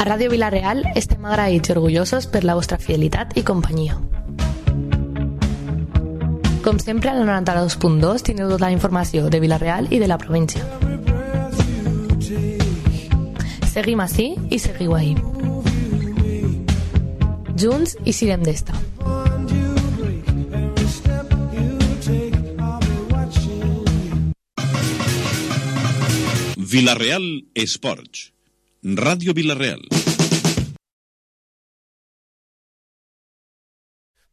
Ràdio Vila-real estem agraïts i orgullosos per la vostra fidelitat i companyia. Com sempre, al 92.2 tindreu tota la informació de Vila-real i de la província. Seguim ací i seguiu ahí. Junts i siguem d'esta. Vila-real Esports. Ràdio Vila-real.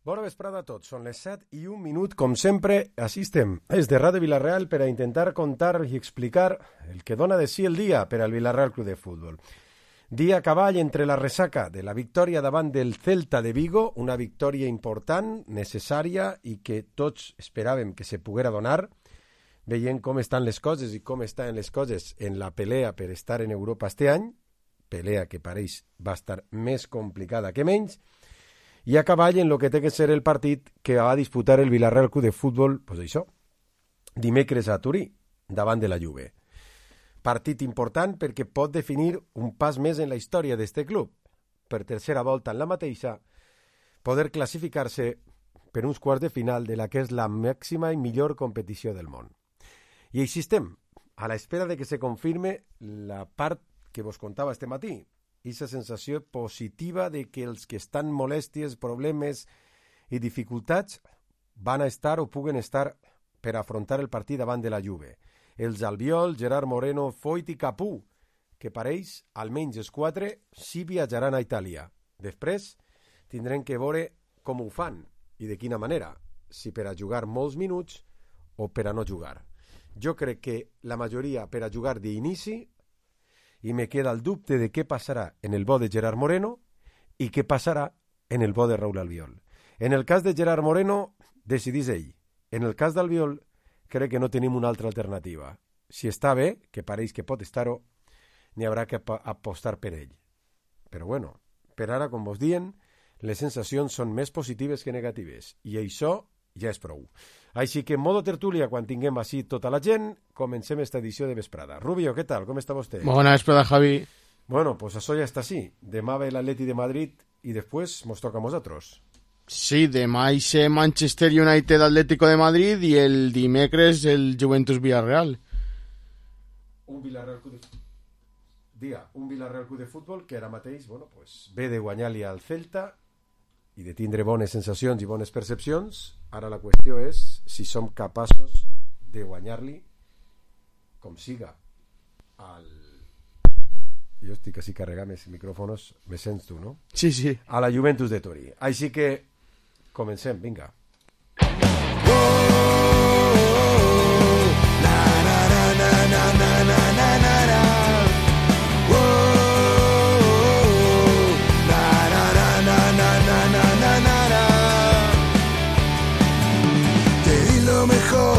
Bona vesprada a tots, són les 7:01, com sempre, així estem, des de Ràdio Vila-real per a intentar contar i explicar el que dona de si el dia per al Vila-real Club de Futbol. Dia a cavall entre la ressaca de la victòria davant del Celta de Vigo, una victòria important, necessària i que tots esperàvem que se poguera donar, veient com estan les coses i com estan les coses en la pelea per estar en Europa este any, pelea que pareix va estar més complicada que menys, i a cavall en el que té que ser el partit que va disputar el Vila-real Club de Futbol, pues això, dimecres a Turí, davant de la Juve. Partit important perquè pot definir un pas més en la història d'este club. Per tercera volta en la mateixa, poder classificar-se per uns quarts de final de la que és la màxima i millor competició del món. I així estem, a l'espera de que se confirme la part que vos contava este matí, aquesta sensació positiva de que els que estan molèsties, problemes i dificultats van a estar o puguen estar per afrontar el partit davant de la Juve. Els Albiol, Gerard Moreno, Foyt i Capú, que pareix, almenys els 4, sí viatjaran a Itàlia. Després tindrem que veure com ho fan i de quina manera, si per a jugar molts minuts o per a no jugar. Jo crec que la majoria per a jugar d'inici, i me queda el dubte de què passarà en el bo de Gerard Moreno i què passarà en el bo de Raúl Albiol. En el cas de Gerard Moreno, decidís ell. En el cas d'Albiol, crec que no tenim una altra alternativa. Si està bé, que pareix que pot estar-ho, n'hi haurà que apostar per ell. Però bueno, per ara, com vos dient, les sensacions són més positives que negatives, i això ja és prou. Així que en modo tertúlia, quan tinguem així tota la gent, comencem esta edició de vesprada. Rubio, què tal? Com està vostè? Bona vesprada, Javi. Bueno, pues això ja està així. Demà ve l'Atleti de Madrid i després mos toca a nosaltres. Sí, demà hi sé Manchester United Atlético de Madrid i el dimecres el Juventus Villarreal. Un Villarreal Club de Futbol que ara mateix, bueno, pues, ve de guanyar-li al Celta i de tindre bones sensacions i bones percepcions. Ara la qüestió és si som capaços de guanyar-li com siga al... Jo estic així carregant els micròfonos, me sents tu, no? Sí, sí. A la Juventus de Turí. Així que comencem, vinga.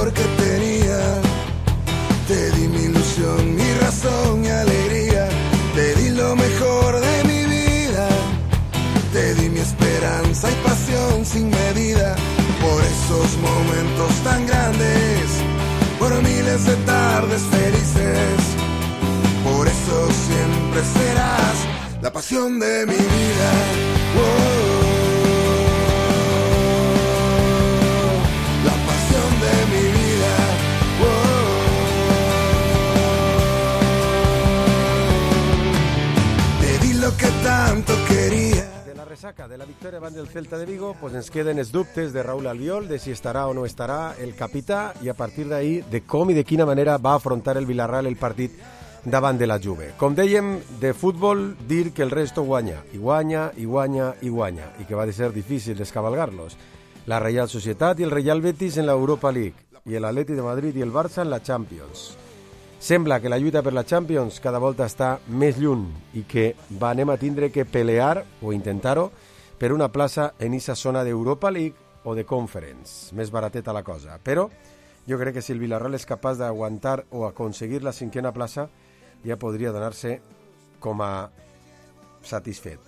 Que tenía, te di mi ilusión, mi razón, mi alegría, te di lo mejor de mi vida, te di mi esperanza y pasión sin medida, por esos momentos tan grandes, por miles de tardes felices, por eso siempre serás la pasión de mi vida. Oh. Que tanto quería. De la resaca de la victòria davant del Celta de Vigo, pues ens queden els dubtes de Raúl Albiol, de si estarà o no estarà el capità, i a partir d'ahir de com i de quina manera va afrontar el Villarreal el partit davant de la Juve. Com dèiem, de futbol, dir que el resto guanya, i guanya, i guanya, i guanya, i que va de ser difícil descabalgar-los. La Real Societat i el Real Betis en l'Europa League, i l'Atleti de Madrid i el Barça en la Champions. Sembla que la lluita per la Champions cada volta està més lluny i que anem a tindre que pelear o intentar-ho per una plaça en aquesta zona d'Europa League o de Conference. Més barateta la cosa. Però jo crec que si el Villarreal és capaç d'aguantar o aconseguir la cinquena plaça, ja podria donar-se com a satisfet.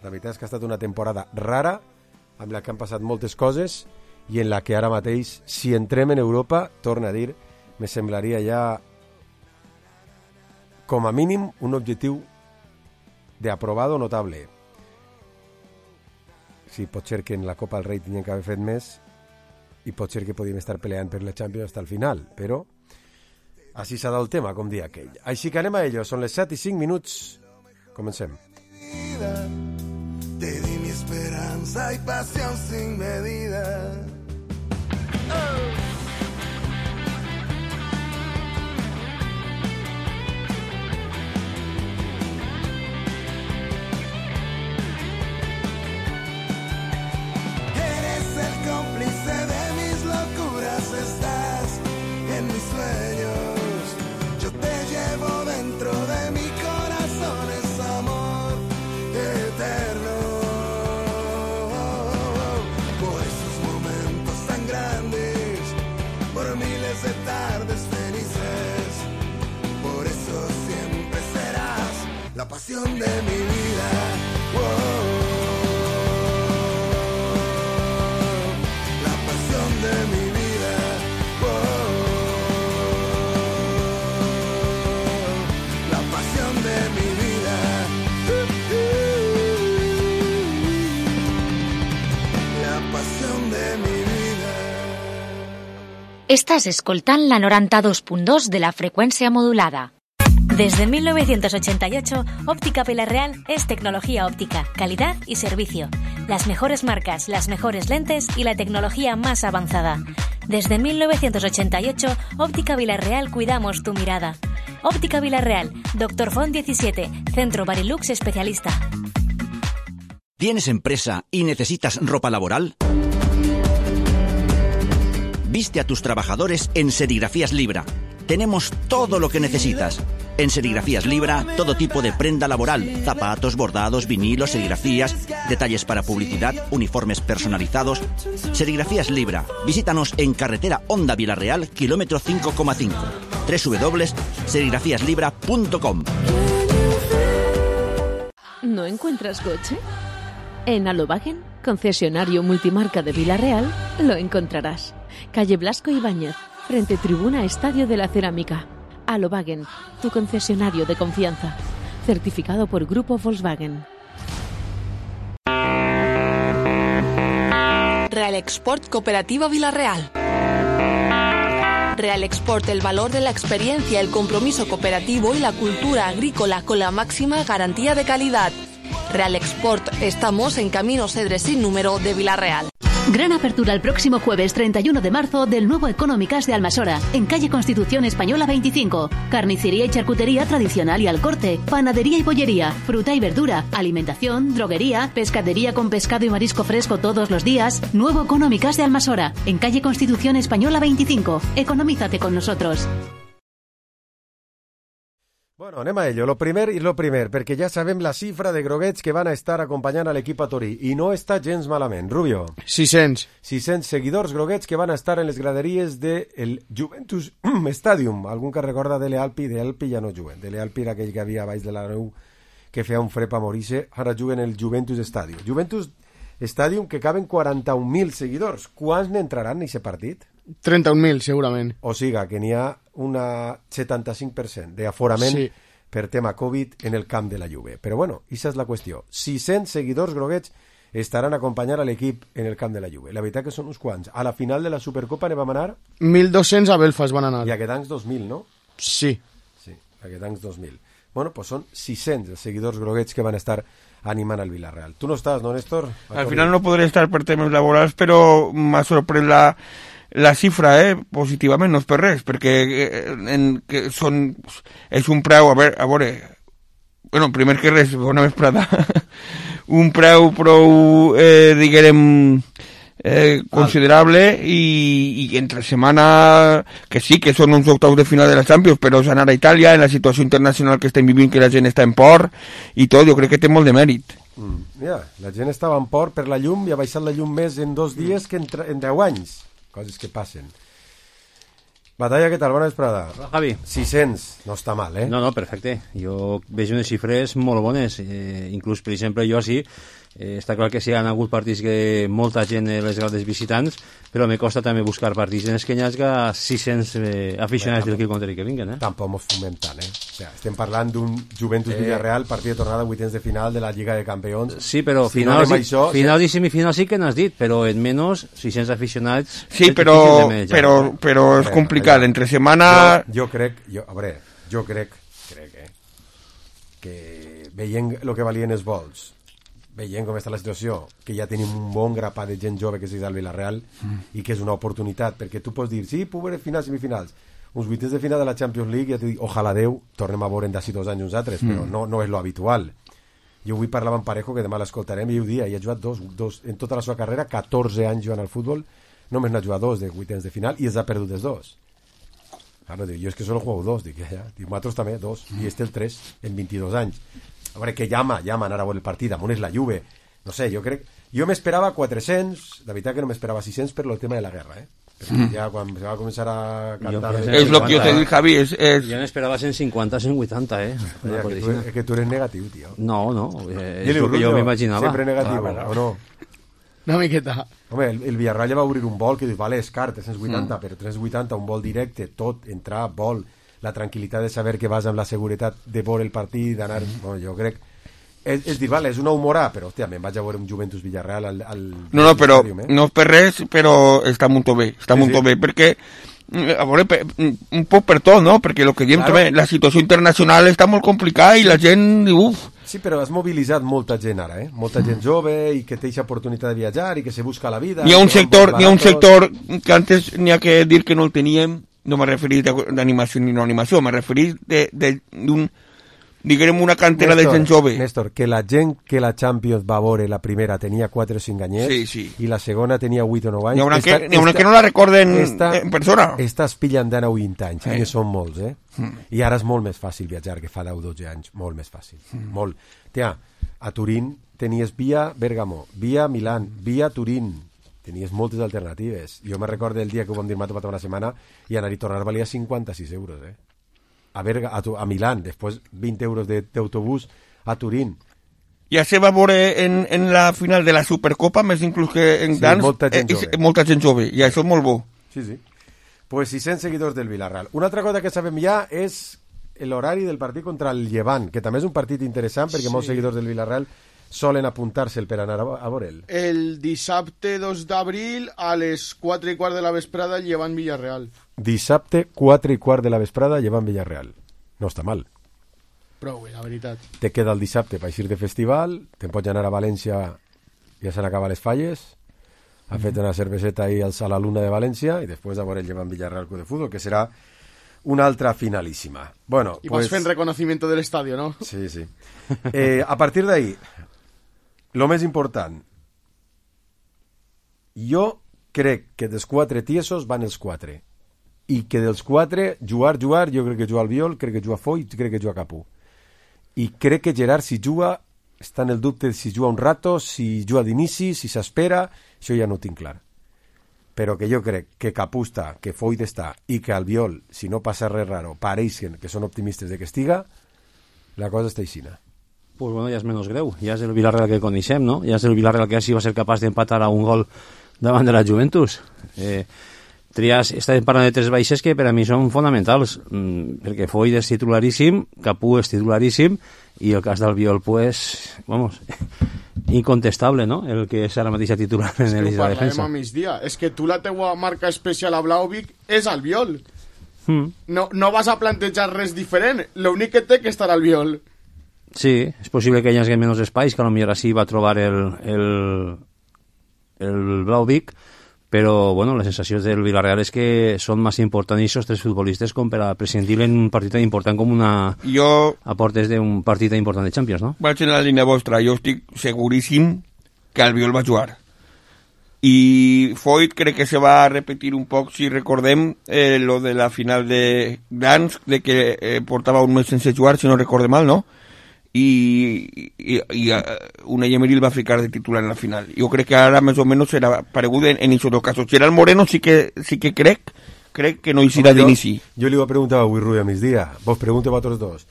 La veritat és que ha estat una temporada rara, amb la que han passat moltes coses i en la que ara mateix, si entrem en Europa, torna a dir, me semblaria ja com a mínim un objectiu de aprobado notable. Sí, pot ser que en la Copa del Rei tinguem que haver fet més i pot ser que podíem estar peleant per la Champions hasta el final, però així s'ha dado el tema, com dia aquell. Així que anem a ello, són les 7:05. Comencem. Te di mi esperanza y pasión sin medida. Eres el cómplice de mis locuras, estás en mis sueños. Yo te llevo dentro de mi corazón, es amor eterno. Por esos momentos tan grandes, por miles de tardes felices, por eso siempre serás la pasión de mi vida. La pasión de mi vida. La pasión de mi vida. La pasión de mi vida. Estàs escoltant la 92.2 de la frecuencia modulada. Desde 1988, Óptica Villarreal es tecnología óptica, calidad y servicio. Las mejores marcas, las mejores lentes y la tecnología más avanzada. Desde 1988, Óptica Villarreal cuidamos tu mirada. Óptica Villarreal, Dr. Font 17, Centro Barilux Especialista. ¿Tienes empresa y necesitas ropa laboral? Viste a tus trabajadores en Serigrafías Libra. Tenemos todo lo que necesitas. En Serigrafías Libra, todo tipo de prenda laboral, zapatos, bordados, vinilos, serigrafías, detalles para publicidad, uniformes personalizados. Serigrafías Libra. Visítanos en carretera Honda Villarreal, kilómetro 5,5. www.serigrafíaslibra.com. ¿No encuentras coche? En Alobagen, concesionario multimarca de Villarreal, lo encontrarás. Calle Blasco Ibáñez, frente tribuna Estadio de la Cerámica. Alobagen, tu concesionario de confianza. Certificado por Grupo Volkswagen. Real Export Cooperativa Villarreal. Real Export, el valor de la experiencia, el compromiso cooperativo y la cultura agrícola con la máxima garantía de calidad. Real Export, estamos en Camino Cedres sin número de Villarreal. Gran apertura el próximo jueves 31 de marzo del nuevo Económicas de Almasora, en calle Constitución Española 25. Carnicería y charcutería tradicional y al corte, panadería y bollería, fruta y verdura, alimentación, droguería, pescadería con pescado y marisco fresco todos los días. Nuevo Económicas de Almasora, en calle Constitución Española 25. Economízate con nosotros. Bueno, anem a ello. Lo primer, perquè ja sabem la xifra de groguets que van a estar acompanyant a l'equip a Torí, i no està gens malament. Rubio. 600 seguidors groguets que van a estar en les graderies del Juventus Stadium. Algun que recorda Dele Alpi? Dele Alpi ja no juguen. Dele Alpi era aquell que havia baix de la neu que feia un fred a morir-se. Ara juguen el Juventus Stadium. Juventus Stadium que caben 41.000 seguidors. Quants n'entraran en aquest partit? 31.000, segurament. O siga, que n'hi ha un 75% d'aforament sí. per tema Covid en el camp de la Juve. Però bueno, aquesta és la qüestió. 600 seguidors groguets estaran a acompanyar a l'equip en el camp de la Juve. La veritat que són uns quants. A la final de la Supercopa ne vam anar? 1.200 a Belfast van anar. I a Gdansk 2.000, no? Sí. Sí, a Gdansk 2.000. Bueno, pues són 600 els seguidors groguets que van estar animant al Villarreal. Tu no estàs, no, Néstor? Al final no podré estar per temes laborals, però m'ha sorprès la xifra, positivament, no és per res, perquè és un preu, a veure, bueno, primer que res, bona vesprada, un preu prou, diguem, considerable i entre setmana que sí que són uns octaus de final de la Champions, però és anar a Itàlia en la situació internacional que estem vivint, que la gent està en por i tot, jo crec que té molt de mèrit. La gent estava en por per la llum i ha baixat la llum més en 2 dies que en 10 anys, coses que passen. Batalla, què tal? Bona vesprada. Hola, Javi. 600, no està mal, No, perfecte. Jo veig unes xifres molt bones. Inclús, per exemple, jo així, Està clar que sí, han hagut partits que molta gent les grades visitants, però me costa també buscar partits en els que hi hagi 600 aficionats del contrari que vinguen. Tampoc mos fumem tant, O sea, estem parlant d'un Juventus-Villarreal, partit de tornada, vuitens de final de la Lliga de Campions. Sí, però finals i semifinals sí que n'has dit, però en menys 600 aficionats... Sí, però és complicat, entre setmana... Jo crec que veient el que valien els vols, veient com està la situació, que ja tenim un bon grapat de gent jove que és el Villarreal i que és una oportunitat, perquè tu pots dir, sí, puc veure finals, semifinals, uns vuitens de final de la Champions League, ja t'ho dic, ojalà Déu, tornem a veure d'ací 2 anys uns altres, però no és lo habitual. Jo avui parlava amb Parejo, que demà l'escoltarem, i ho dia, i ha jugat dos, en tota la seva carrera, 14 anys jugant al futbol, només n'ha jugat 2 de vuitens de final, i els ha perdut els 2. Claro, dic, jo és que solo juego 2, dic, ja, dic, nosaltres també, 2, i el 3 en 22 anys. A veure, que llama anar a veure el partit, amunt és la Juve, no sé, jo m'esperava 400, la veritat que no m'esperava 600 per el tema de la guerra, perquè ja quan se va començar a cantar... És el que jo t'he dit, Javi, Jo n'esperava 150, 180, És que tu eres negatiu, tio. No, és el que jo m'imaginava. Sempre negatiu, o no? Una miqueta. Home, el Villarreal ja va obrir un vol que dius, vale, és car, 380, però 380, un vol directe, tot, entrar, vol, la tranquil·litat de saber que vas amb la seguretat de veure el partit, d'anar... Bueno, jo crec... És dir, vale, és una humorà, però, hòstia, me'n vaig a veure un Juventus-Villarreal al... No, però no és per res, però està molt bé, bé, perquè... A veure, un poc per tot, no? Perquè el que diem també, la situació internacional està molt complicada i la gent... Uf. Sí, però has mobilitzat molta gent ara, molta gent jove i que té aquesta oportunitat de viatjar i que se busca la vida. N'hi ha un sector que antes n'hi ha que dir que no el teníem, no m'he referit d'animació ni no animació, m'he referit d'un, diguem, una cantera de gent jove. Néstor, que la gent que la Champions va veure la primera tenia 4 o 5 anyets i la segona tenia 8 o 9 anys. N'hi ha una que no la recorden en persona. Estàs pillant d'ana 20 anys, que són molts, I ara és molt més fàcil viatjar que fa 10 o 12 anys, molt més fàcil, molt. Tia, a Turín tenies via Bergamo, via Milán, via Turín, tenies moltes alternatives. Jo me recordo el dia que ho vam dir tota una setmana i anar i tornar valia 56 euros, a Milán, després 20 euros d'autobús a Turín. Ja se va veure en la final de la Supercopa, més inclús que en dans, molta gent jove, i això és molt bo. Sí. Pues 600 seguidors del Villarreal. Una altra cosa que sabem ja és l'horari del partit contra el Llevant, que també és un partit interessant perquè molts seguidors del Villarreal solen apuntar-se'l per anar a veure'l. El dissabte 2 d'abril a les 4:15 de la vesprada Llevant Villarreal. Dissabte 4:15 de la vesprada Llevant Villarreal. No està mal. Prou, la veritat. Te queda el dissabte per eixir de festival, te'n pots anar a València, ja se n'acaba les falles, ha fet una cerveseta ahí a la Luna de València i després a veure el Llevant Villarreal Club de Futbol, que serà una altra finalíssima. Bueno, y pues, vas fent reconocimiento del estadio, ¿no? Sí. A partir d'ahí, lo més important, jo crec que dels 4 tiesos van els 4 i que dels 4 jugar, jo crec que juga Albiol, crec que juga Foy, crec que juga Capú, i crec que Gerard, si juga, està en el dubte si juga un rato, si juga d'inici, si s'espera, això ja no ho tinc clar, però que jo crec que Capú està, que Foy està i que Albiol, si no passa res raro, pareixen que són optimistes de que estiga, la cosa està aixina. Pues bueno, ja és menys greu, ja és el Villarreal que coneixem, no? Ja és el Villarreal que així va ser capaç d'empatar a un gol davant de la Juventus. Estàvem parlant de 3 baixes que per a mi són fonamentals, perquè Foy és titularíssim, Capú és titularíssim, i el cas d'Albiol, pues, vamos, incontestable, no? El que és ara mateix titular en el de defensa. És que tu la teua marca especial a Blaovic és Albiol. No vas a plantejar res diferent, l'únic que té que estar Albiol. Sí, és possible que hi hagi menys espais, que potser així va trobar el Blaovic, però bueno, les sensacions del Villarreal és que són més importants aquests 3 futbolistes com per a prescindir en un partit tan important com a portes d'un partit tan important de Champions, no? Vaig en la línia vostra, jo estic seguríssim que Albiol va jugar. I Foyt crec que se va repetir un poc, si recordem, lo de la final de Gdansk, de que portava un mes sense jugar, si no recorde mal, no? I Unai Emery el va ficar de titular en la final. Jo crec que ara més o menys serà paregut en aquests dos casos. Gerard Moreno sí que crec que no hi serà d'inici. Jo li ho preguntava avui Rui a migdia, vos pregunto a vosaltres dos.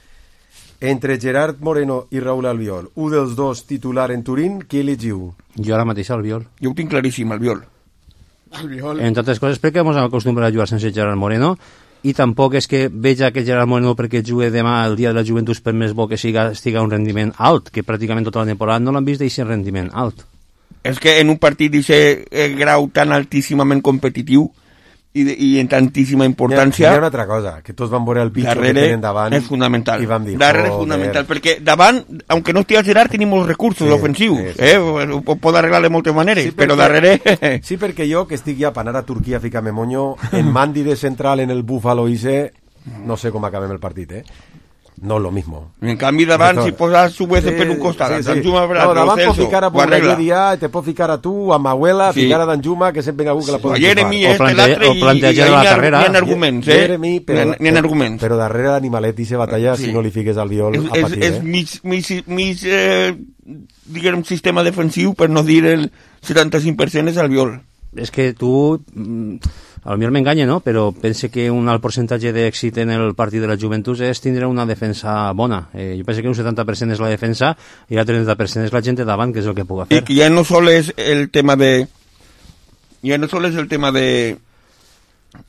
Entre Gerard Moreno i Raúl Albiol, un dels dos titular en Turín, qui elegiu? Jo ara mateix Albiol. Jo ho tinc claríssim, Albiol. Entre altres coses perquè ens acostumbrem a jugar sense Gerard Moreno, i tampoc és que veja que Gerard Moreno perquè jugue demà el dia de la Juventus per més bo que estiga un rendiment alt, que pràcticament tota la temporada no l'han vist d'aquest rendiment alt. És que en un partit d'aquest grau tan altíssimament competitiu i en tantíssima importància... Hi ha una altra cosa, que tots van veure el pitjor que tenen davant és fonamental. I vam dir, darrere és fonamental, perquè davant, aunque no estigui Gerard, tenim molts recursos ofensius. Ho pot arreglar de moltes maneres, però darrere... Sí, perquè jo, que estic ja per anar a Turquia a ficar-me monyo, en Mandi de central, en el Búfalo Ise, no sé com acabem el partit, No lo mismo. En canvi, davant, si posas su vez per un costat, Danjuma per l'altre, davant pot ficar a Borregueria, te pot ficar a tu, a Mahuela, ficar a Danjuma, que sempre hi ha algú que la pot Jeremy, o plantejar la carrera. N'hi ha arguments, N'hi ha arguments. Però darrere d'Animalet i se batalla si no li fiques al Viol a patir, És mig diguem, sistema defensiu, per no dir el 75% és al Viol. És que tu... A mi m'enganya, no? Però pense que un alt percentatge d'èxit en el partit de la Juventus és tindre una defensa bona. Jo penso que un 70% és la defensa i el 30% és la gent de davant, que és el que puc fer. I que ja no sol és el tema de... Ja no sol és el tema de...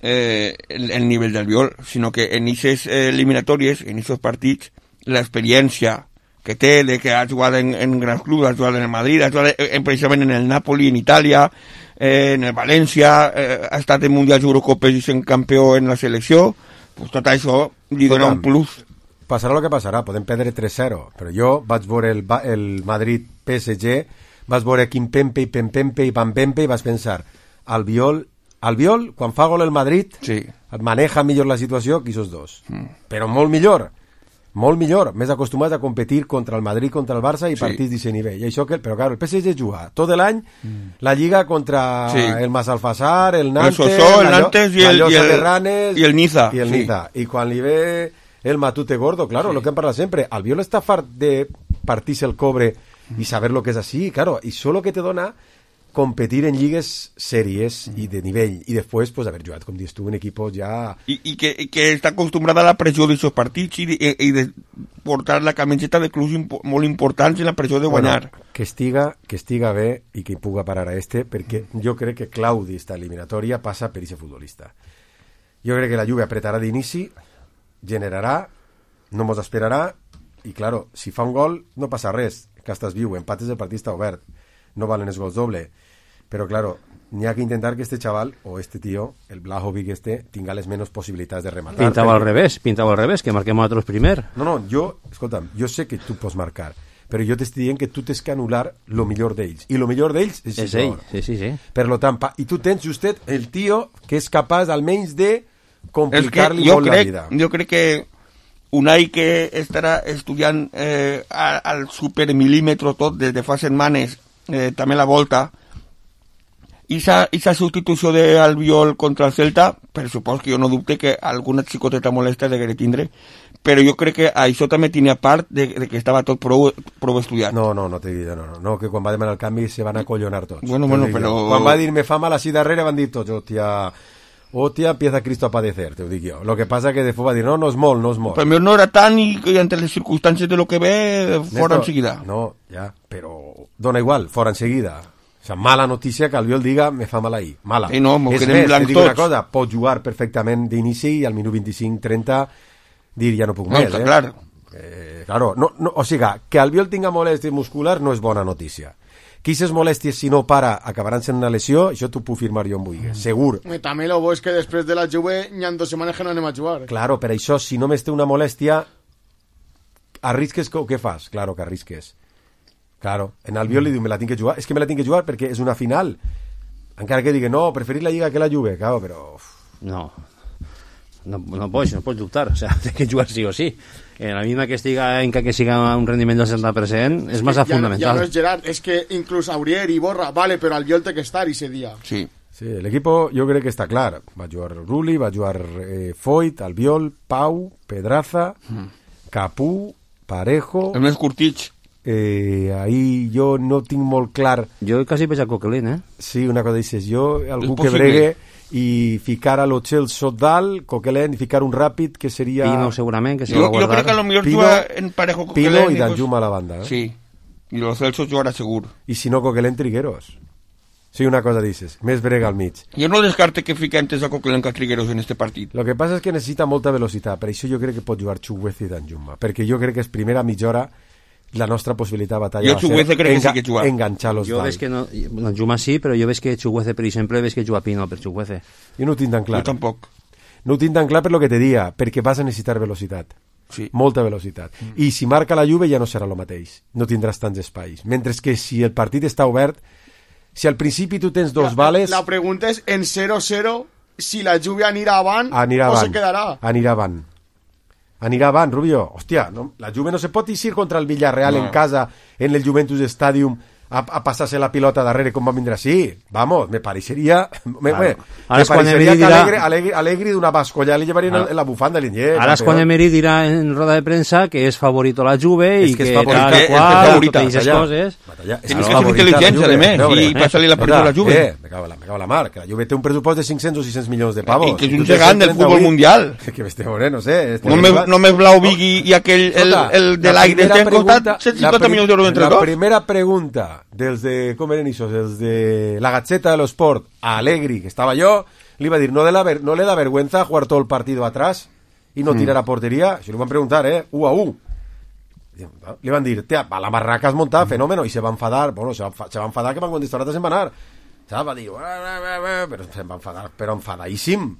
el nivell del Viol, sinó que en aquestes eliminatòries, en aquests partits, l'experiència que té, de que ha jugat en grans clubs, ha jugat en el Madrid, ha jugat precisament en el Napoli, en Itàlia, en el València, ha estat en Mundials i Eurocopes i sent campió en la selecció, pues tot això li dona un plus. Passarà el que passarà, podem perdre 3-0, però jo vaig veure el Madrid PSG, vaig veure Kimpembe i Pempembe i Pampembe i vaig pensar, Albiol, quan fa gol el Madrid, maneja millor la situació que aquests dos, però molt millor, més acostumats a competir contra el Madrid, contra el Barça i partits d'aquest nivell. I això que, però claro, el PSG juga tot l'any la Lliga contra el Massalfassar, el Nantes, el Nantes i el Niza. I quan li ve el Matute Gordo, claro, lo que hem parlat sempre, Albiol està fart de partir-se el cobre i saber lo que és així, claro, i solo que te dona competir en lligues sèries i de nivell, i després pues, haver jugat, com dius tu, en equipos ja... I que està acostumbrada a la pressió d'aquests partits i de portar la camiseta de clubs molt importants i la pressió de guanyar. Bueno, que estiga bé i que hi puga parar a perquè jo crec que Claudi, esta eliminatòria, passa per aquest futbolista. Jo crec que la Juve apretarà d'inici, generarà, no mos esperarà, i claro, si fa un gol no passa res, que estàs viu, empates el partit està obert, no valen els gols doble. Però, claro, n'hi ha que intentar que este chaval, o este tío, el Blajovic tinga les menys possibilitats de rematar. Pintava al revés, que marquem nosaltres primer. No, escolta'm, jo sé que tu pots marcar, però jo t'estic dient que tu tens que anul·lar lo millor d'ells. I lo millor d'ells és ell. Sí. Per lo tant, i tu tens justet el tio que és capaç almenys de complicar-li molt la vida. Jo crec que Unai, que estarà estudiant al supermilímetro tot des de fa setmanes, també la volta, i esa substitució d'Albiol contra el Celta, per supòs que jo no dubte que alguna xicoteta molesta degué tindre, però jo crec que això també tenia part de que estava tot prou estudiat. No, te dic, no, que quan va demanar el canvi se van acollonar tots. Bueno, però... Quan va dir me fa mal així darrere van dir tots, hòstia, empieza Cristo a padecer, te ho dic jo. Lo que passa que després va dir, no és molt. Però no era tant i entre les circumstàncies de lo que ve, fora enseguida. No, ja, però dona igual, fora enseguida. O sea, mala notícia que Albiol diga me fa mal ahí, mala. No, és més, te dic una cosa, pot jugar perfectament d'inici i al minut 25-30 dir ja no puc més. Clar. Claro, o sigui, que Albiol tinga molèsties musculars no és bona notícia. Que aquestes molèsties, si no para, acabaran sent una lesió, això t'ho puc firmar jo en Buigues, segur. També lo bo és que després de la Juve hi ha 2 setmanes que no anem a jugar. Claro, per això, si només té una molèstia, arrisques o què fas? Claro que arrisques. Claro, en Albiol li diu, me la tinc que jugar. És que me la tinc que jugar perquè és una final. Encara que digui, no, preferir la Lliga que la Juve, claro, però... No pots dubtar, o sea, té que jugar sí o sí. En la misma que estiga en que siga un rendiment del 60% és massa fundamental. Ja no és Gerard, és que inclús Aurier i Borra, vale, però Albiol té que estar ese dia. Sí, l'equip jo crec que està clar. Va jugar Rulli, va jugar Foyt, Albiol, Pau, Pedraza, Capú, Parejo... El més curtits. Ahí jo no tinc molt clar. Jo quasi veig a Coquelin, Sí, una cosa dices, jo algú que bregue i ficar a lo Celso dalt, Coquelin, i ficar un ràpid que seria... Pino segurament, que se Jo va guardar. crec que a lo millor juga en parejo Coquelin. Pino i Danjuma a la banda. Sí, i lo Celso jugarà segur. I si no, Coquelin, Trigueros. Sí, una cosa dices, més brega al mig. Jo no descarte que fique antes a Coquelin que a Trigueros en este partit. Lo que passa és que necessita molta velocitat, per això jo crec que pot jugar Chukwueze i Danjuma, perquè jo crec que és primera mitja hora la nostra possibilitat de batalla Jo Chukwueze crec que sí que juga. Enganxar-los Jo veig que no, Danjuma sí, però jo veig que Chukwueze, per exemple, veig que juga Pino per Chukwueze. Jo no ho tinc tan clar. Jo tampoc. No ho tinc tan clar per lo que te dia, perquè vas a necessitar velocitat. Sí. Molta velocitat. I si marca la Juve ja no serà el mateix. No tindràs tants espais. Mentre que si el partit està obert, si al principi tu tens dos vales... La pregunta és, en 0-0, si la Juve anirà avant anirà o avant. se quedarà. Anirà avant, Rubio. Hòstia, no? La Juve no se pot eixir contra el Villarreal en casa, en el Juventus Stadium, a passar-se la pilota darrere com va vindre així. Vamos, me pareixeria... Me pareixeria que Allegri d'una bascolla li llevarien en la bufanda de l'Inyer. Ara és quan Emery dirà en roda de premsa que és favorito la Juve i que tal qual, totes aquestes coses. Tienes que ser intel·ligència, de més, i passar-li la pelota a la Juve. Me cago la mar, que la Juve té un pressupost de 500 o 600 milions de pavos. I que és un gegant del futbol mundial. Que m'estic veurent, no sé. Només Vlahovic i aquell, el de l'Aire, t'han costat 150 milions d'euros entre tots. La primera pregunta dels de, com eren això, els de la Gazzetta de l'Esport a Allegri, que estava jo, li va dir, no le da vergüenza jugar todo el partido atrás y no tirar a portería. Això li van preguntar, 1-1. Le van dir, a la marraca has montado, fenómeno, y se va a enfadar, bueno, se va a enfadar que van contestar se'n va anar. Va dir, però se'n va enfadar, però enfadadíssim.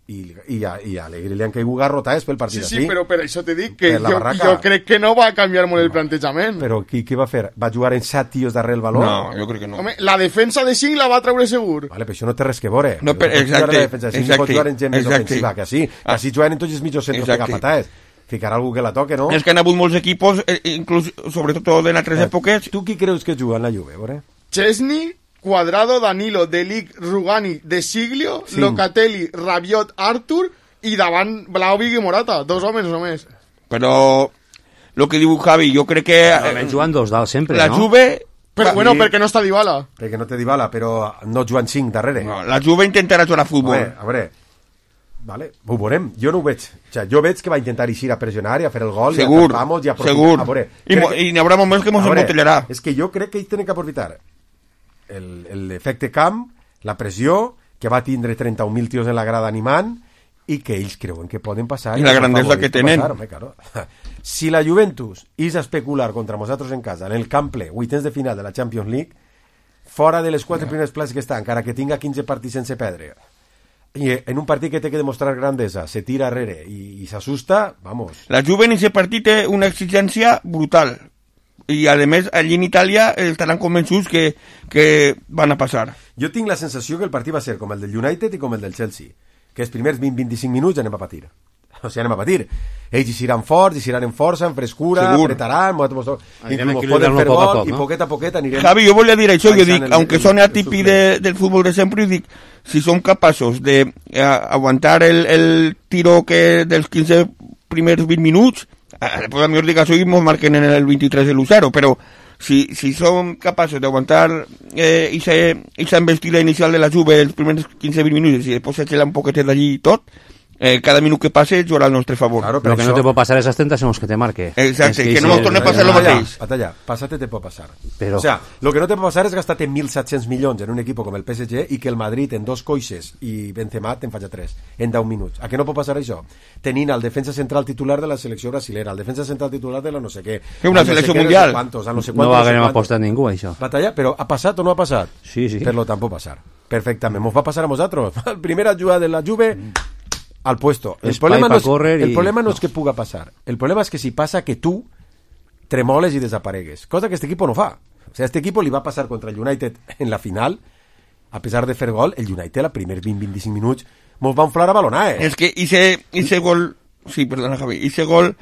I a Allegri li han caigut garrotades pel partit sí, però per això te dic que jo crec que no va canviar molt el plantejament. Però què va fer? Va jugar en 7 tios darrere el valor? No, jo crec que no. Home, la defensa de 5 la va treure segur. Vale, però això no té res que veure. No, exacte. Pot jugar en gent més ofensiva, que sí. Així juguen en tots els mitjos centres que agafatades. Ficarà algú que la toque, no? És que han hagut molts equipos, inclús, sobretot en altres èpoques. Tu qui creus que juga en la Juve, veure? Chesney, Cuadrado, Danilo, De Ligt, Rugani, De Siglio, Locatelli, Rabiot, Artur i davant Vlahovic i Morata, 2 homes només. Però el que diu Javi, jo crec que... Juguen dos dalt sempre, la no? Juve... Però bueno, perquè no està Dybala. Perquè no té Dybala, però no juguen 5 darrere. No, la Juve intentarà jugar a futbol. A veure, vale, ho veurem. Jo no ho veig. O sigui, jo veig que va intentar eixir a pressionar i a fer el gol. Segur, segur. I n'hi haurà moments que mos embotellarà. És que jo crec que ells tenen que aprofitar l'efecte camp, la pressió, que va tindre 31.000 tios en la grada animant, i que ells creuen que poden passar. I la grandesa que tenen. Si la Juventus és a especular contra nosaltres en casa, en el camp ple, 8 de final de la Champions League, fora de les 4 primeres places que està, encara que tinga 15 partits sense perdre, i en un partit que té que demostrar grandesa, se tira arrere i s'assusta, vamos. La Juve en aquest partit té una exigència brutal. I a més allí en Itàlia estaran convençuts que van a passar. Jo tinc la sensació que el partit va ser com el del United i com el del Chelsea, que els primers 20-25 minuts anem a patir. O sigui, anem a patir. Ells eixiran forts, eixiran en força, en frescura, apretaran, inclús poden fer gol, i poquet a poquet anirem... Javi, jo volia dir això, jo dic, aunque soni atípic del futbol de sempre, jo dic, si som capaços de aguantar el tiro dels 15 primers 20 minuts, pues a mi os diga, soy nos marquen en el 23 el 0, pero si son capaces de aguantar esa embestida inicial de la Juve els primers 15-20 minuts i després s'eixela un poquet d'allí i tot, cada minut que passe jugarà al nostre favor. Claro, pero lo que no te puede pasar esas tentaciones que te marque. Exacte, que no nos torne a pasar lo mateix. Batalla, pásate te puede pasar. Pero... O sea, lo que no te puede pasar es gastarte 1.700 milions en un equipo com el PSG i que el Madrid en 2 coixes i Benzema te'n faci 3 en 10 minuts. A què no pot passar això? Tenint el defensa central titular de la selecció brasilera, el defensa central titular de la no sé què. Una selecció mundial. No va a apostar ningú, això. Batalla, però ha passat o no ha passat? Sí, sí. Per lo tant pot passar. Perfectament. Mos va passar a nosaltres. La primera jugada de la Juve... al puesto. El problema no es que puga pasar. El problema es que si pasa que tú tremoles y desaparegues. Cosa que este equipo no fa. O sea, este equipo li va pasar contra el United en la final. A pesar de fer gol, el United a primer 20-25 minuts mos va inflar a balonar, Es que ese gol... Sí, perdona, Javi. Ese gol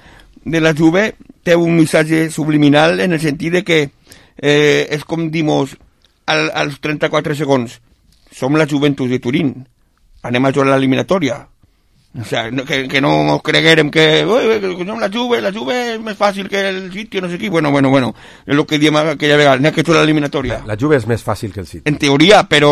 de la Juve té un missatge subliminal en el sentit de que és com dimos als 34 segons. Som la Juventus de Turín. Anem a jugar a l'eliminatòria. O sea, que no ens creguérem que la Juve és més fàcil que el City, no sé qui. Bueno, és el que diem aquella vegada, n'hi ha que fer l'eliminatòria. La Juve és més fàcil que el City. En teoria, però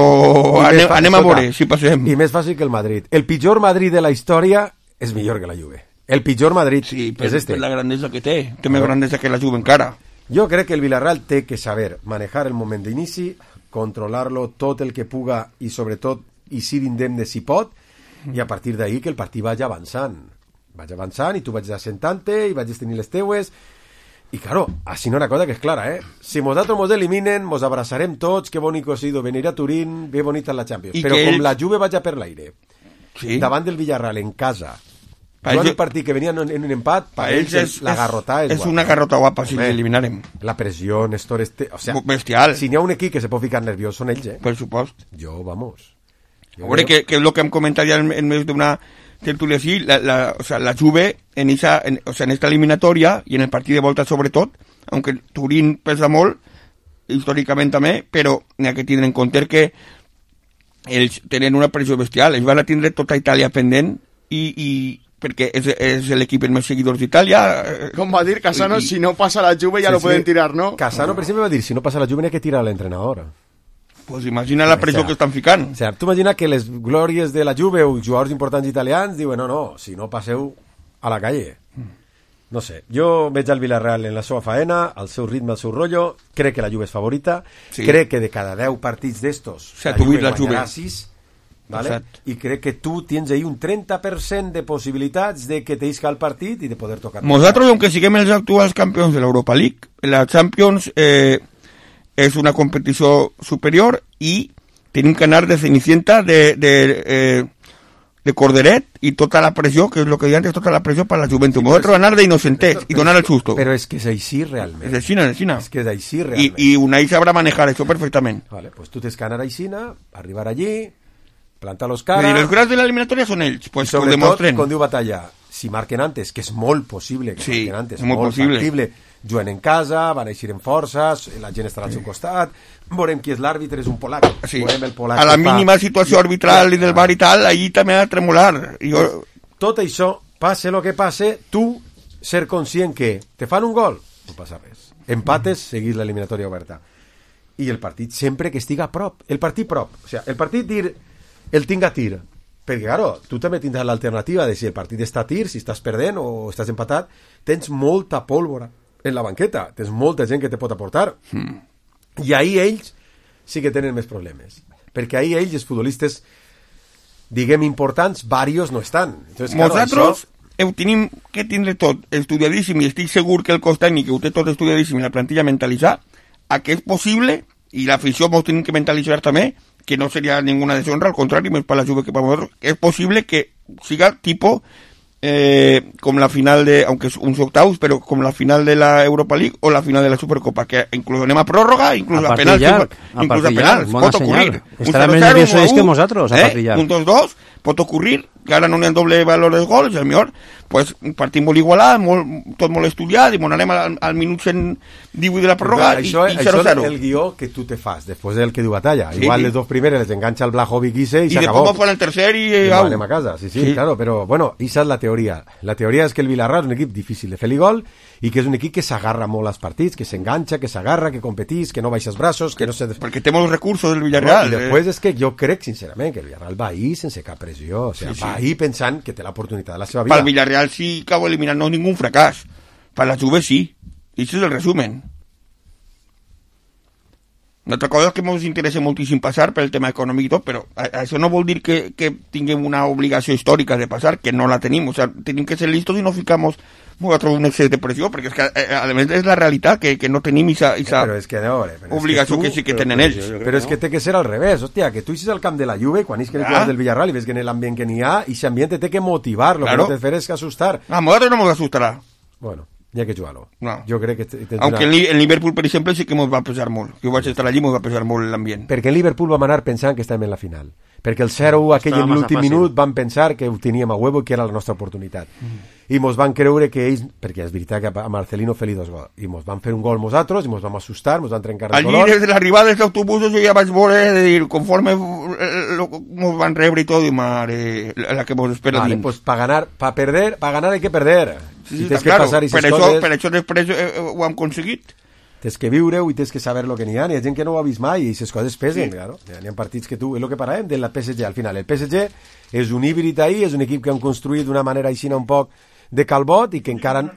anem a veure si passem. I més fàcil que el Madrid. El pitjor Madrid de la història és millor que la Juve. El pitjor Madrid és este. Per la grandesa que té més grandesa que la Juve encara. Jo crec que el Villarreal té que saber manejar el moment d'inici, controlar-lo tot el que puga i sobretot i ser indemne si pot, i a partir d'ahí que el partit vagi avançant i tu vaig assentant-te i vaig tenir les teues i claro, així no una cosa que és clara, si nosaltres mos eliminen mos abraçarem tots, que bonico ha sido venir a Turín, bé bonita la Champions, però com la Juve vaja per l'aire davant del Villarreal en casa jugant un partit que venia en un empat per ells la garrota és una garrota guapa si l'eliminarem. La pressió, Néstor, o sea, bestial. Si n'hi ha un equip que se pot ficar nerviós són ells, per supost. Jo, vamos. A veure, que és el que hem comentat ja en més d'una tertúlia així, la Juve en esta eliminatòria i en el partit de volta sobretot, aunque Turín pesa molt, històricament també, però n'hi ha que tindre en compte que ells tenen una pressió bestial, ells van a tindre tota Itàlia pendent i perquè és l'equip amb més seguidors d'Itàlia. Com va dir Casano, si no passa la Juve ja lo pueden tirar, ¿no? Casano, per exemple, va dir, si no passa la Juve n'hi ha que tirar a l'entrenador. Pues imagina la pressió que estan ficant. O sea, tu imagina que les glòries de la Juve o jugadors importants italians diuen, no, si no passeu a la calle. No sé, jo veig el Villarreal en la seva faena, al seu ritme, al seu rotllo, crec que la Juve és favorita, crec que de cada 10 partits d'estos la Juve guanyarà 6, ¿vale? I crec que tu tens ahí un 30% de possibilitats de que t'isca el partit i de poder tocar. Nosaltres, aunque siguem els actuals campions de l'Europa League, la Champions és una competició superior i tenim que anar de Cenicienta de Corderet i tota la pressió, que és el que deia antes, tota la pressió per la Juventus. Nosaltres anar d'innocentets i donar el susto. Però és que és així realment. És així. És que és així realment. I Unai sabrà manejar això perfectament. Vale, pues tu tens que anar així, arribar allí, plantar-los cara... I els grans de l'eliminatòria són ells, pues ho demostren. Com diu Batalla, si marquen antes, que és molt possible que marquen antes, molt factible, juguen en casa, van eixir en forces, la gent estarà al seu costat, veurem qui és l'àrbitre, és un polac. Veurem el polac a la mínima situació arbitral i del bar i tal, allí també ha de tremolar. Tot això, passe el que passe, tu ser conscient que te fan un gol, no passa res. Empates, seguís l'eliminatòria oberta. I el partit sempre que estiga a prop. El partit prop. O sigui, el partit dir el tinc a tir. Perquè, claro, tu també tindràs l'alternativa de si el partit està a tir, si estàs perdent o estàs empatat, tens molta pólvora en la banqueta, tens molta gent que te pot aportar. I ahir ells sí que tenen més problemes. Perquè ahir ells, els futbolistes, diguem, importants, varios no estan. Entonces, claro, nosaltres ho tenim que tindre tot estudiadíssim i estic segur que el cos tècnic ho té tot estudiadíssim i la plantilla mentalitzar a que és possible, i l'afició mos tenim que mentalitzar també, que no seria ninguna deshonra, al contrari, més per la Juve que per nosaltres, és possible que siga tipo com la final de, aunque es uns octavos, però com la final de la Europa League o la final de la Supercopa, que inclús anem a pròrroga, inclús a penals, inclús a penals, pot ocurrir. Estarà més nerviosos que nosaltres, a partir un 2-2, pot ocurrir, que ara no n'hi ha doble valor dels gols, el millor, pues, un partit molt igualat, tot molt estudiat, i anem al minut 118 de la pròrroga i 0-0. Això és el guió que tu te fas, després del que diu Batalla. Igual les dos primeres les enganxa el Blajovic i s'acabó. I després fan el tercer i anem a casa. Sí, claro, però, bueno, esa és la teoria. La teoria és que el Villarreal és un equip difícil de fer-li gol i que és un equip que s'agarra molt als partits, que s'enganxa, que s'agarra, que competís, que no baixa els braços, que no se... Perquè té molts recursos del Villarreal. I després és que jo crec, sincerament, que el Villarreal va ahir sense cap pressió. O sigui, va ahir pensant que té l'oportunitat de la seva vida. Pel Villarreal sí acabo eliminant no ningún fracàs. Per la Juve sí. I això és el resumen. Una altra cosa és que ens interessa moltíssim passar per el tema econòmic i tot, però això no vol dir que tinguem una obligació històrica de passar, que no la tenim. O sea, tenim que ser listos i no ficamos un excés de pressió, perquè és que, a més, és la realitat, que no tenim esa obligació que sí que tenen ells. Però és que té que ser al revés, hòstia, que tu eixes al camp de la Juve, quan eixes del Villarreal i ves que en l'ambient que n'hi ha, i aquest ambient té que motivar, lo que no te fer és que assustar. A nosaltres no ens assustarà. Bueno, hi ha que jugar-lo. No. Jo crec que... Aunque el Liverpool, per exemple, sí que ens va pesar molt. Jo vaig estar allí i ens va pesar molt l'ambient. Perquè el Liverpool vam anar pensant que estàvem en la final. Perquè el 0-1 aquell en l'últim minut van pensar que ho teníem a huevo i que era la nostra oportunitat. I mos van creure que ells, perquè és veritat que a Marcelino fer-li 2 gols, i mos van fer un gol nosaltres, i mos vam assustar, mos van trencar el color. Allí, des de l'arribada dels autobusos, jo ja vaig veure, de dir, conforme el nos van rebre y todo, y madre, la que nos espera. Vale, pues para ganar hay que perder. Sí, I tens claro, que passar aquestes per coses. això després ho hem aconseguit. Tens que viure-ho i tens que saber lo que n'hi ha. N'hi ha gent que no ho ha vist mai i aquestes coses pesen, claro. N'hi ha partits que tu... És el que parlem de la PSG al final. El PSG és un híbrid ahí, és un equip que han construït d'una manera així un poc de calbot i que encara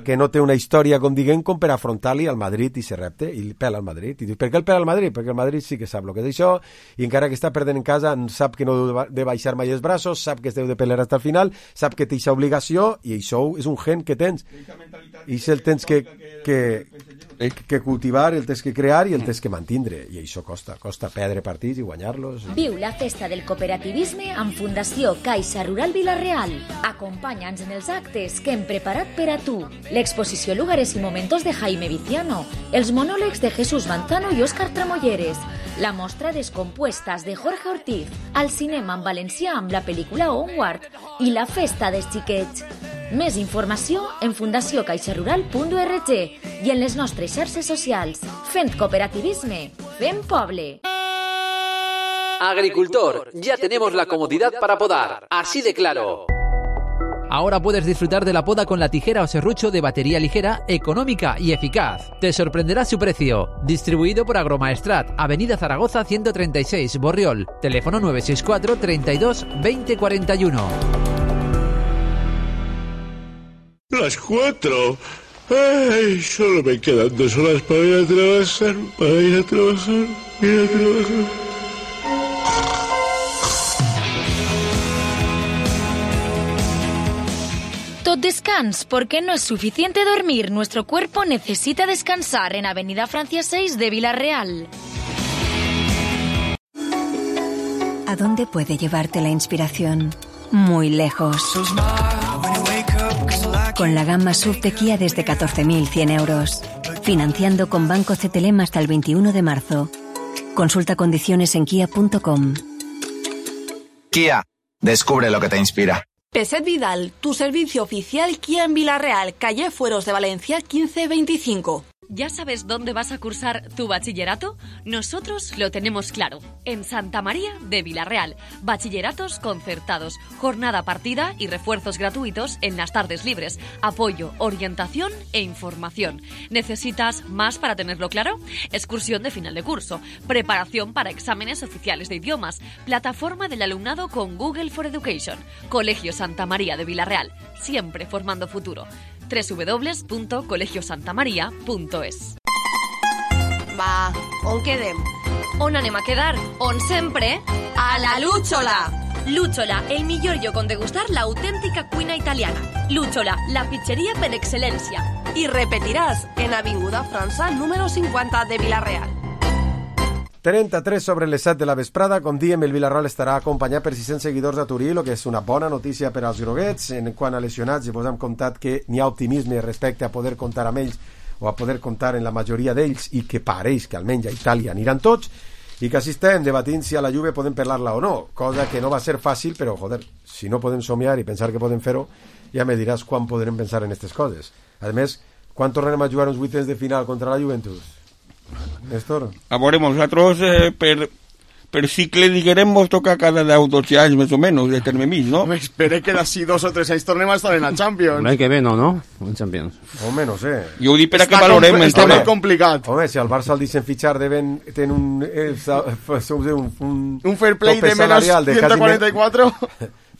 que no té una història, com diguem, com per afrontar-li al Madrid i se repte, i pela al Madrid. I dius, per què el pela al Madrid? Perquè el Madrid sí que sap el que és això, i encara que està perdent en casa, sap que no deu de baixar mai els braços, sap que es deu de pelear fins al final, sap que té aquesta obligació, i això és un gen que tens. I el tens que cultivar, el tens que crear i el tens que mantindre. I això costa perdre partits i guanyar-los. Viu la festa del cooperativisme amb Fundació Caixa Rural Vila-real. Acompanya'ns en els actes que hem preparat per a tu. L'exposició Lugares y Momentos de Jaime Viciano, els monòlegs de Jesús Manzano i Òscar Tramolleres, la mostra Descompuestas de Jorge Ortiz, al cinema en valencià amb la pel·lícula Onward i la festa dels xiquets. Més informació en fundaciocaixarural.org i en les nostres xarxes socials. Fent cooperativisme, fent poble. Agricultor, ya tenemos la comodidad para podar, así de claro. Ahora puedes disfrutar de la poda con la tijera o serrucho de batería ligera, económica y eficaz. Te sorprenderá su precio. Distribuido por Agromaestrat, Avenida Zaragoza 136, Borriol. Teléfono 964 32 20 41. Las 4. Ay, solo me quedan 2 horas para ir a trabajar. Tot descans, porque no es suficiente dormir. Nuestro cuerpo necesita descansar en Avenida Francia 6 de Vila-real. ¿A dónde puede llevarte la inspiración? Muy lejos. Con la gama SUV de Kia desde 14.100 euros. Financiando con Banco CTLM hasta el 21 de marzo. Consulta condiciones en kia.com. Kia, descubre lo que te inspira. Peset Vidal, tu servicio oficial Kia en Vila-real, calle Fueros de Valencia 1525. ¿Ya sabes dónde vas a cursar tu bachillerato? Nosotros lo tenemos claro. En Santa María de Vila-real. Bachilleratos concertados, jornada partida y refuerzos gratuitos en las tardes libres. Apoyo, orientación e información. ¿Necesitas más para tenerlo claro? Excursión de final de curso. Preparación para exámenes oficiales de idiomas. Plataforma del alumnado con Google for Education. Colegio Santa María de Vila-real. Siempre formando futuro. www.colegiosantamaria.es. Va, on quedem? On anem a quedar? On sempre? A la Lúchola! Lúchola, el millor lloc on degustar la autèntica cuina italiana. Lúchola, la pizzeria per excel·lència. I repetiràs en Avinguda França número 50 de Vila-real. 33 sobre les 7 de la vesprada. Com diem, el Vila-real estarà acompanyat per 600 seguidors a Turí, el que és una bona notícia per als groguets. En quant a lesionats, vos hem contat que n'hi ha optimisme respecte a poder comptar amb ells o a poder comptar en la majoria d'ells i que pareix que almenys a Itàlia aniran tots i que així estem debatint si a la Juve podem parlar-la o no, cosa que no va ser fàcil, però joder, si no podem somiar i pensar que podem fer-ho, ja me diràs quan podrem pensar en aquestes coses. A més, quan tornarem a jugar uns vuitens de final contra la Juventus? Néstor? A veure, nosaltres per cicle, diguem, mos toca cada 10 o 12 anys més o menys, de terme mig, no? Espere que d'ací 2 o 3 anys tornem a estar en la Champions. L'any que ve no? En Champions. Home, no sé. Jo ho dic per a que valorem. Està molt complicat. Home, si al Barça el deixen fitxar tenen un fair play de menos 144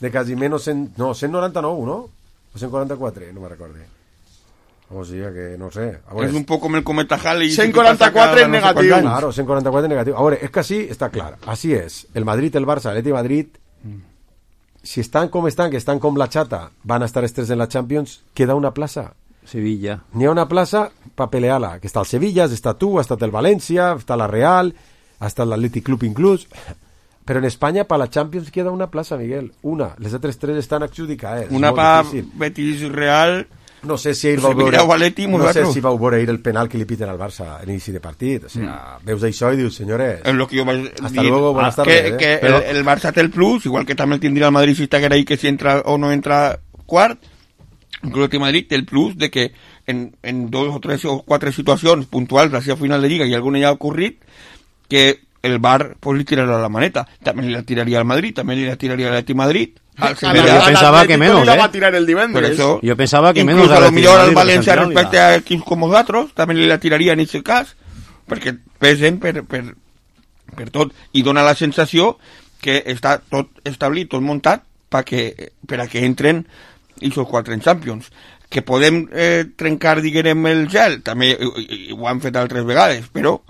de quasi menos 199, no? O 144, no me recordo. O sigui que no sé. És un poc com el cometa Halley. 144 en negatiu. Claro, 144 en negatiu. A veure, és que així està clar. Així és. El Madrid, el Barça, l'Atleti de Madrid, si estan com estan, que estan com la xata, van a estar estres en la Champions, queda una plaça. Sevilla. N'hi ha una plaça per pelear-la, que està el Sevilla, està tu, ha estat el València, està la Real, ha estat l'Atlètic Club inclús, però en Espanya per la Champions queda una plaça, Miguel, una. Les altres 3 estan adjudicades. Una per Betis Real. No sé si ell vau veure, vau veure el penal que li piten al Barça a l'inici de partit. O sigui, veus això i dius, senyores, hasta luego, buenas tardes. Que el Barça té el plus, igual que també el tindria el Madrid si estiguera ahí, que si entra o no entra quart. Inclús el Madrid té el plus de que en 2 o 3 o 4 situacions puntuals, la seva final de Lliga, i alguna ja ha ocorrit, que el VAR pues le tirará la maneta. También le tiraría al Madrid, también le tiraría al Atleti Madrid. Yo pensaba que menos, va a tirar el divendres. Eso, yo pensaba que incluso menos. A lo millor al València respecte a equips com els altres, també li la tiraria en aquest cas, perquè pesen per tot, i dona la sensació que està tot establit, tot muntat, per a que entren aquests 4 en Champions. Que podem trencar, diguem, el gel, també ho han fet altres vegades, però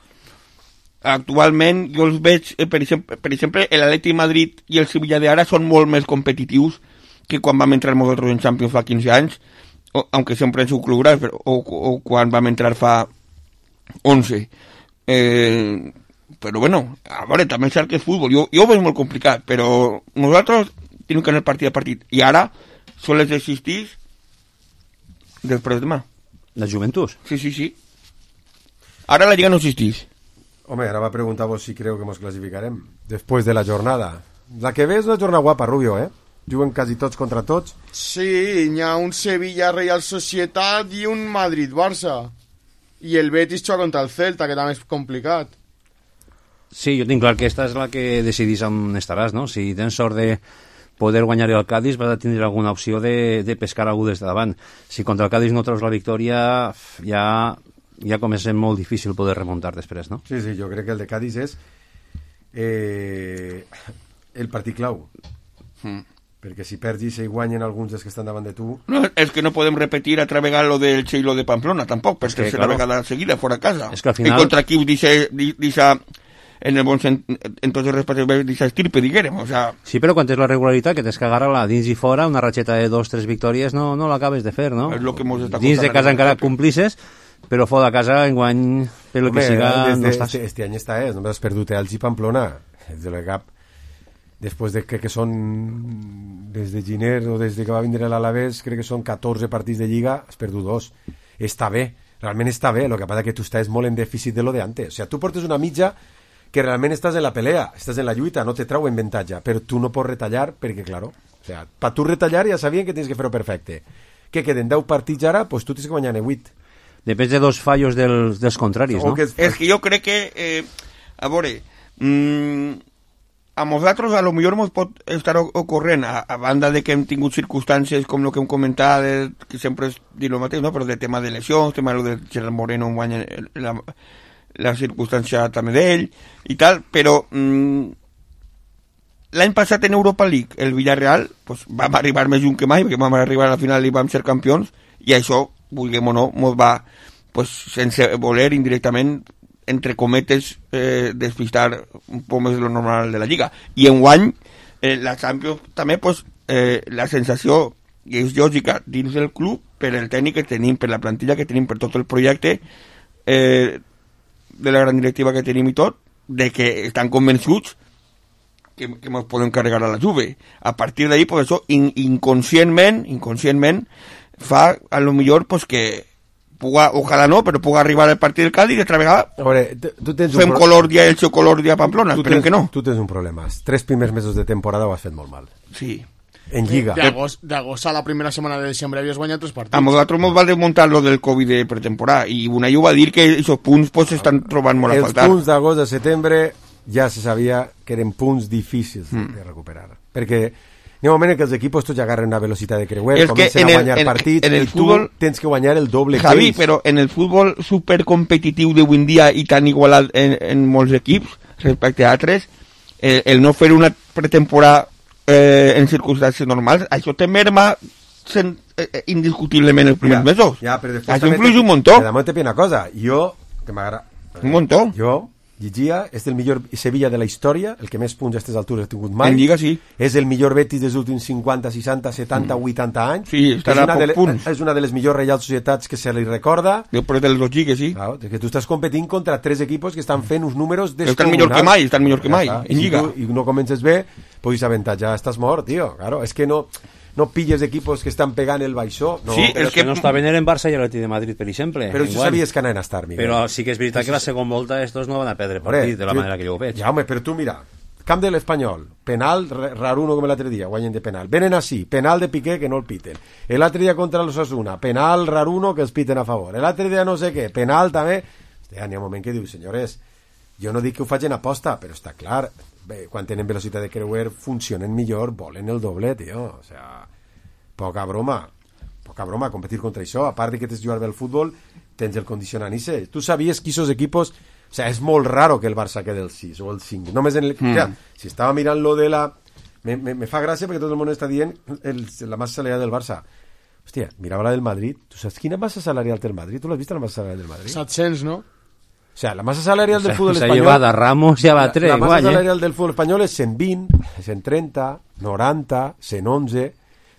actualment jo els veig, per exemple, l'Atleti Madrid i el Sevilla d'ara són molt més competitius que quan vam entrar nosaltres en Champions fa 15 anys, aunque sempre en su club gran, o quan vam entrar fa 11. Però bueno, a veure, també és cert que és futbol, jo ho veig molt complicat, però nosaltres tenim que anar partit a partit, i ara sols existeix després de demà. ¿La Juventus? Sí. Ara la Lliga no existeix. Home, ara va preguntar-vos si creu que ens classificarem després de la jornada. La que ve és una jornada guapa, Rubio, eh? Juguen quasi tots contra tots. Sí, hi ha un Sevilla-Real Societat i un Madrid-Barça. I el Betis juga contra el Celta, que també és complicat. Sí, jo tinc clar que esta és la que decidís on estaràs, no? Si tens sort de poder guanyar el Cádiz, vas a tindre alguna opció de pescar algú des de davant. Si contra el Cádiz no treus la victòria, ja comença molt difícil poder remuntar després, no? Sí, jo crec que el de Cádiz és el partit clau. Perquè si perds i se guanyen alguns dels que estan davant de tu... No, és que no podem repetir altra vegada lo del Che i lo de Pamplona, tampoc, per tercera vegada seguida, fora casa. És que al final... I contra equips d'eixa, en el bon sentit, en tots els respectes d'eixa estirpe, diguem, o sea... Sí, però quan és la regularitat, que tens que agarrar-la dins i fora, una ratxeta de 2-3 victòries no l'acabes de fer, no? És lo que mos està dins de casa encara complisses, però fora de casa enguany, per lo que siga, no estàs. Este any només has perdut Elx i Pamplona, és de la cap. Després de que són des de Giner o des de que va vindre l'Alavés, crec que són 14 partits de Lliga, has perdut 2. Està bé, realment està bé, el que passa que tu estàs molt en dèficit de lo de antes. O sea, tu portes una mitja que realment estàs en la pelea, estàs en la lluita, no te trau en avantatge, però tu no pots retallar perquè, claro, o sea, per tu retallar ja sabien que tens que fer-ho perfecte. Que queden 10 partits ara, pues tu tens que guanyar 8. Depèn de dos fallos dels contraris, no? És que jo crec que, a veure, a nosaltres a lo millor ens pot estar ocorrent, a banda de que hem tingut circumstàncies com el que hem comentat, que sempre és dir el mateix, no? Però de tema de lesions, tema de Gerard Moreno en guanya la circumstància també d'ell i tal, però l'any passat en Europa League el Villarreal pues, vam arribar més lluny que mai, perquè vam arribar a la final i vam ser campions, i això, vulguem o no, ens va, pues, sense voler, indirectament, entre cometes, despistar un poc més de lo normal de la Lliga. I enguany, la Champions també, pues, la sensació que és lògica dins del club, per el tècnic que tenim, per la plantilla que tenim, per tot el projecte, de la gran directiva que tenim i tot, de que estan convençuts que ens podem carregar a la Juve. A partir d'ahí, pues això, inconscientment, fa a lo millor pues, que puga, ojalà no, però puga arribar al partit del Cádiz i altra vegada fem Colòrdia i el seu Colòrdia a Pamplona, esperem que no. Tu tens un problema, els 3 primers mesos de temporada ho has fet molt mal. Sí. En Lliga. D'agost a la primera setmana de desembre havies guanyat 3 partits. A nosaltres ens va desmuntar lo del Covid de pretemporada i Unai va dir que aquests punts pues, s'estan trobant molt a faltar. Els punts d'agost a setembre ja se sabia que eren punts difícils de recuperar. Perquè hi ha un moment en què els equipos tots agarren una velocitat de creuer, comencen a guanyar partits i tu tens que guanyar el doble que ells. Però en el futbol supercompetitiu d'avui en dia i tan igualat en molts equips respecte a altres, el no fer una pretemporada en circumstàncies normals, això te merma indiscutiblement els primers mesos. Això influeix un muntó. Però també una cosa, jo, que m'agrada... Un muntó. Jo llegia, és el millor Sevilla de la història, el que més punts a aquestes altures ha tingut mai. En Lliga, sí. És el millor Betis dels últims 50, 60, 70, 80 anys. Sí, estarà a poc punts. És una de les millors Reial Societats que se li recorda. Després de les lligues, sí. Claro, que tu estàs competint contra 3 equipos que estan fent uns números descomunals. Estan millor que mai, en Lliga. I no comences bé, pues avantatge, estàs mort, tio. Claro, és que no pilles equipos que estan pegant el baixó. No. Sí, és que no està venent en Barça i l'Atleti de Madrid, per exemple. Però això sabies que anaven a estar, Miguel. Però sí que és veritat que la segona volta estos no van a perdre partit de la manera que jo ho veig. Ja, home, però tu mira, camp de l'Espanyol, penal, raruno com l'altre dia, guanyen de penal. Venen així, penal de Piqué que no el piten. L'altre dia contra l'Osasuna, penal, raruno que els piten a favor. L'altre dia no sé què, penal també. Hi ha un moment que diu, senyores, jo no dic que ho facin aposta, però està clar, bé, quan tenen velocitat de creuer funcionen millor, volen el doble, tio, o sea, poca broma, competir contra això, a part de que tens jugar bé al futbol, tens el condicionant i sé, tu sabies que aquests equipos, o sea, és molt raro que el Barça quede el 6 o el 5, només en el... Ja, si estava mirant lo de la... Me fa gràcia perquè tot el món està dient la massa salarial del Barça. Hòstia, mirava la del Madrid. Tu saps quina massa salarial té el Madrid? Tu l'has vist, la massa salarial del Madrid? 700, ¿no? O sea, la massa salarial del fútbol se espanyol... lleva de Ramos i a Batré. La massa salarial del fútbol espanyol és 120, 130, 90, 111...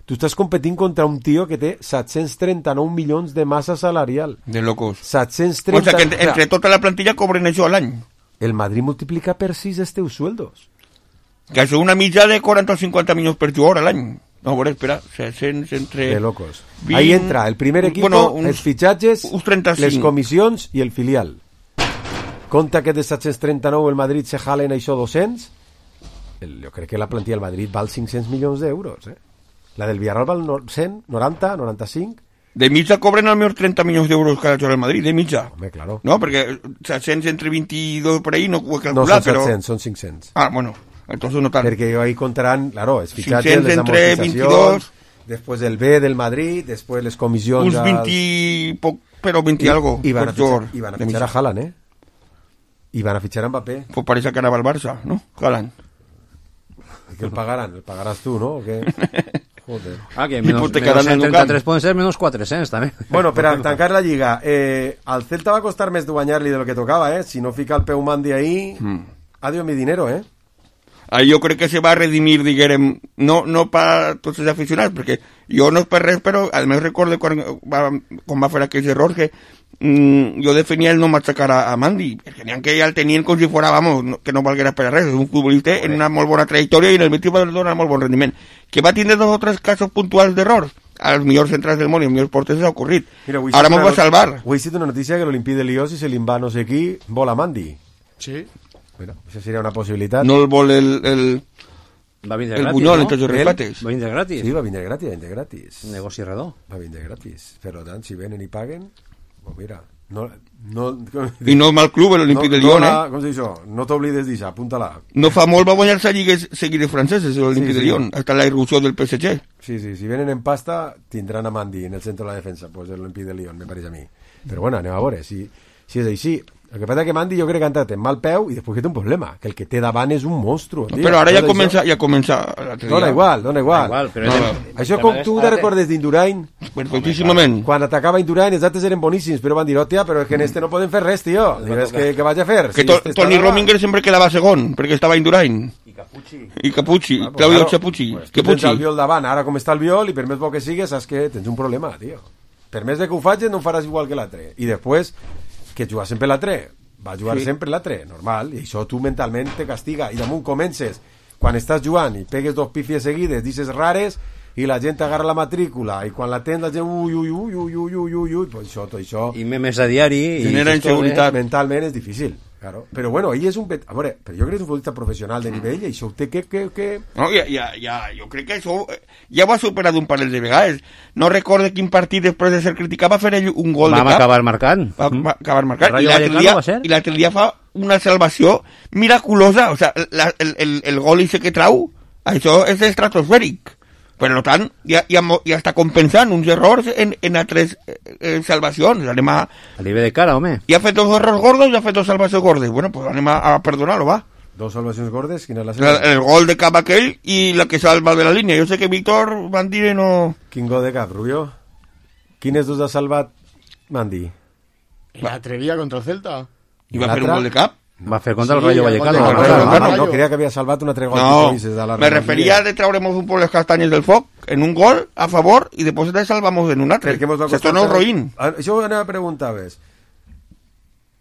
Tu estàs competint contra un tio que té 739 milions de massa salarial. De locos. 730... O sea, que entre tota la plantilla cobren això a l'any. El Madrid multiplica per 6 els teus sueldos. Que això una mitja de 40 o 50 milions per jugador a l'any. No, a veure, espera, 600 entre... De locos. 20... Ahí entra el primer equipo, bueno, els fitxatges, les comissions i el filial. Compte que de 739 el Madrid se jalen això 200, jo crec que la plantilla del Madrid val 500 milions d'euros, La del Villarreal val 100, 90, 95... De mitja cobren al millor 30 milions d'euros cada jugador del Madrid, de mitja. Home, claro. No, perquè 700 entre 22 por ahí no ho he calculat, no, son 700, però... son 500. Ah, bueno, entonces no tant. Perquè ahí contaran, claro, els fitxatges, les amortitzacions, després el B del Madrid, després les comissions... Uns 20 poc, però 20 algo. I van a fitxar a Haaland, I van a fitxar a Mbappé. Pues parece que anava al Barça, ¿no? Haaland. Que el pagaran? El pagaràs tu, no? O què? Joder. Que menos 33 poden ser menos 400 també. Bueno, per a tancar la lliga, al Celta va costar més de guanyar-li de lo que tocava, si no fica el peu Mandi ahí, adiós mi dinero, Ahí jo crec que se va redimir, diguem, no per tots els aficionats, perquè jo no és per res, però al meu recordo quan va fer aquells errors que jo defenia el no machacar a Mandi, perquè n'hi ha que ja el tenien com si fora, vamos, que no valguera per a res, és un futbolista en una molt bona trajectòria i en el Betis va donar molt bon rendiment. Que va tindre 2 o 3 casos puntuals d'errors, als millors centrals del món i als millors porters s'ha ocorrit. Ara m'ho va salvar. Avui he sido una notícia que l'Olimpí de Lió, si se li va no sé qui, vol a Mandi. Sí. Bueno, això seria una possibilitat. No el vol el Buñol, entre els repates. Va vindre gratis. Sí, va vindre gratis. Negoci redó. Va vindre gratis. Per tant, si venen i paguen, pues mira, i no mal club l'Olimpí de Lyon, com se diu això? No t'oblides d'això, apunta-la. No fa molt va guanyar-se lligues seguides franceses l'Olimpí de Lyon, hasta la irrupció del PSG. Sí, si venen en pasta tindran a Mandi en el centre de la defensa, pues l'Olimpí de Lyon, me pareix a mi. Però bueno, anem a veure, si és així. El que passa que Mandi jo crec que ha entrat en mal peu i després que té un problema, que el que té davant és un monstru. No, però ara ja comença dona igual. Però això com tu te recordes d'Indurain? Perfectíssimament. Quan atacava Indurain els altres eren boníssims, però van dir, hòstia, però és que en este no poden fer res, tio. Digues que vaig a fer. Que Toni Rominger sempre quedava segon, perquè estava Indurain. I Capucci, Claudio Capucci. Tens el viol davant, ara com està el viol, i per més bo que sigues, saps que tens un problema, tio. Per més de que ho facis, no ho faràs igual que l'altre. I després, que jugar sempre l'altre, va jugar sempre l'altre, normal, i això tu mentalment te castiga, i damunt comences, quan estàs jugant i pegues 2 pífies seguides, dices rares, i la gent agarra la matrícula, i quan la tens la gent, ui, pues això... I memes a diari... Genera inseguretat. Mentalment és difícil, claro. Però bueno, ell és un... A veure, però jo crec que és un futbolista professional de nivell, i això ho té que... No, jo crec que això ja ho ha superat un parell de vegades. No recordo quin partit després de ser criticat va fer ell un gol de cap. Vam acabar marcant. Va acabar marcant. I l'altre dia fa una salvació miraculosa. O sea, el gol ese que trau, això és estratosfèric. Per tant, ja està compensant uns errors en altres salvacions. Anem a nivell de cara, home. Ja ha fet 2 errors gordos i ha fet 2 salvacions gordes. Bueno, pues anem a perdonar-lo, va. 2 salvacions gordes? Quina és la seva? El gol de cap aquell i la que salva de la línia. Jo sé que Víctor Mandi no... Quin gol de cap, Rubio? Quines 2 ha salvat Mandi? L'altre dia contra el Celta. I va fer un gol de cap? Va fer contra el Rayo Vallecano. No, creia que havia salvat un altre gol. No, me referia de trauremos un poco les castanyes del foc en un gol a favor i després te salvamos en un altre. Se torna un roïn. Això anava a preguntar-vos.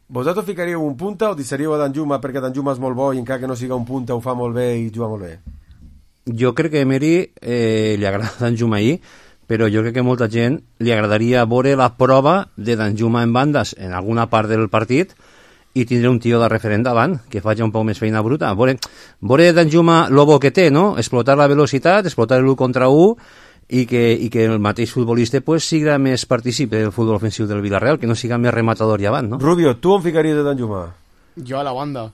Vosaltres ficaríeu un punta o deixaríeu a Danjuma perquè Danjuma és molt bo i encara que no siga un punta ho fa molt bé i juga molt bé? Jo crec que a Emery li agrada Danjuma ahir, però jo crec que molta gent li agradaria veure la prova de Danjuma en bandes en alguna part del partit i tindre un tio de referent davant, que faci un poc més feina bruta. Veure Danjuma lo bo que té, no? Explotar la velocitat, explotar l'1 contra 1 i que el mateix futbolista pues, siga més partícip del futbol ofensiu del Villarreal, que no siga més rematador i avant, no? Rubio, tu on ficaries de Danjuma? Yo a la banda.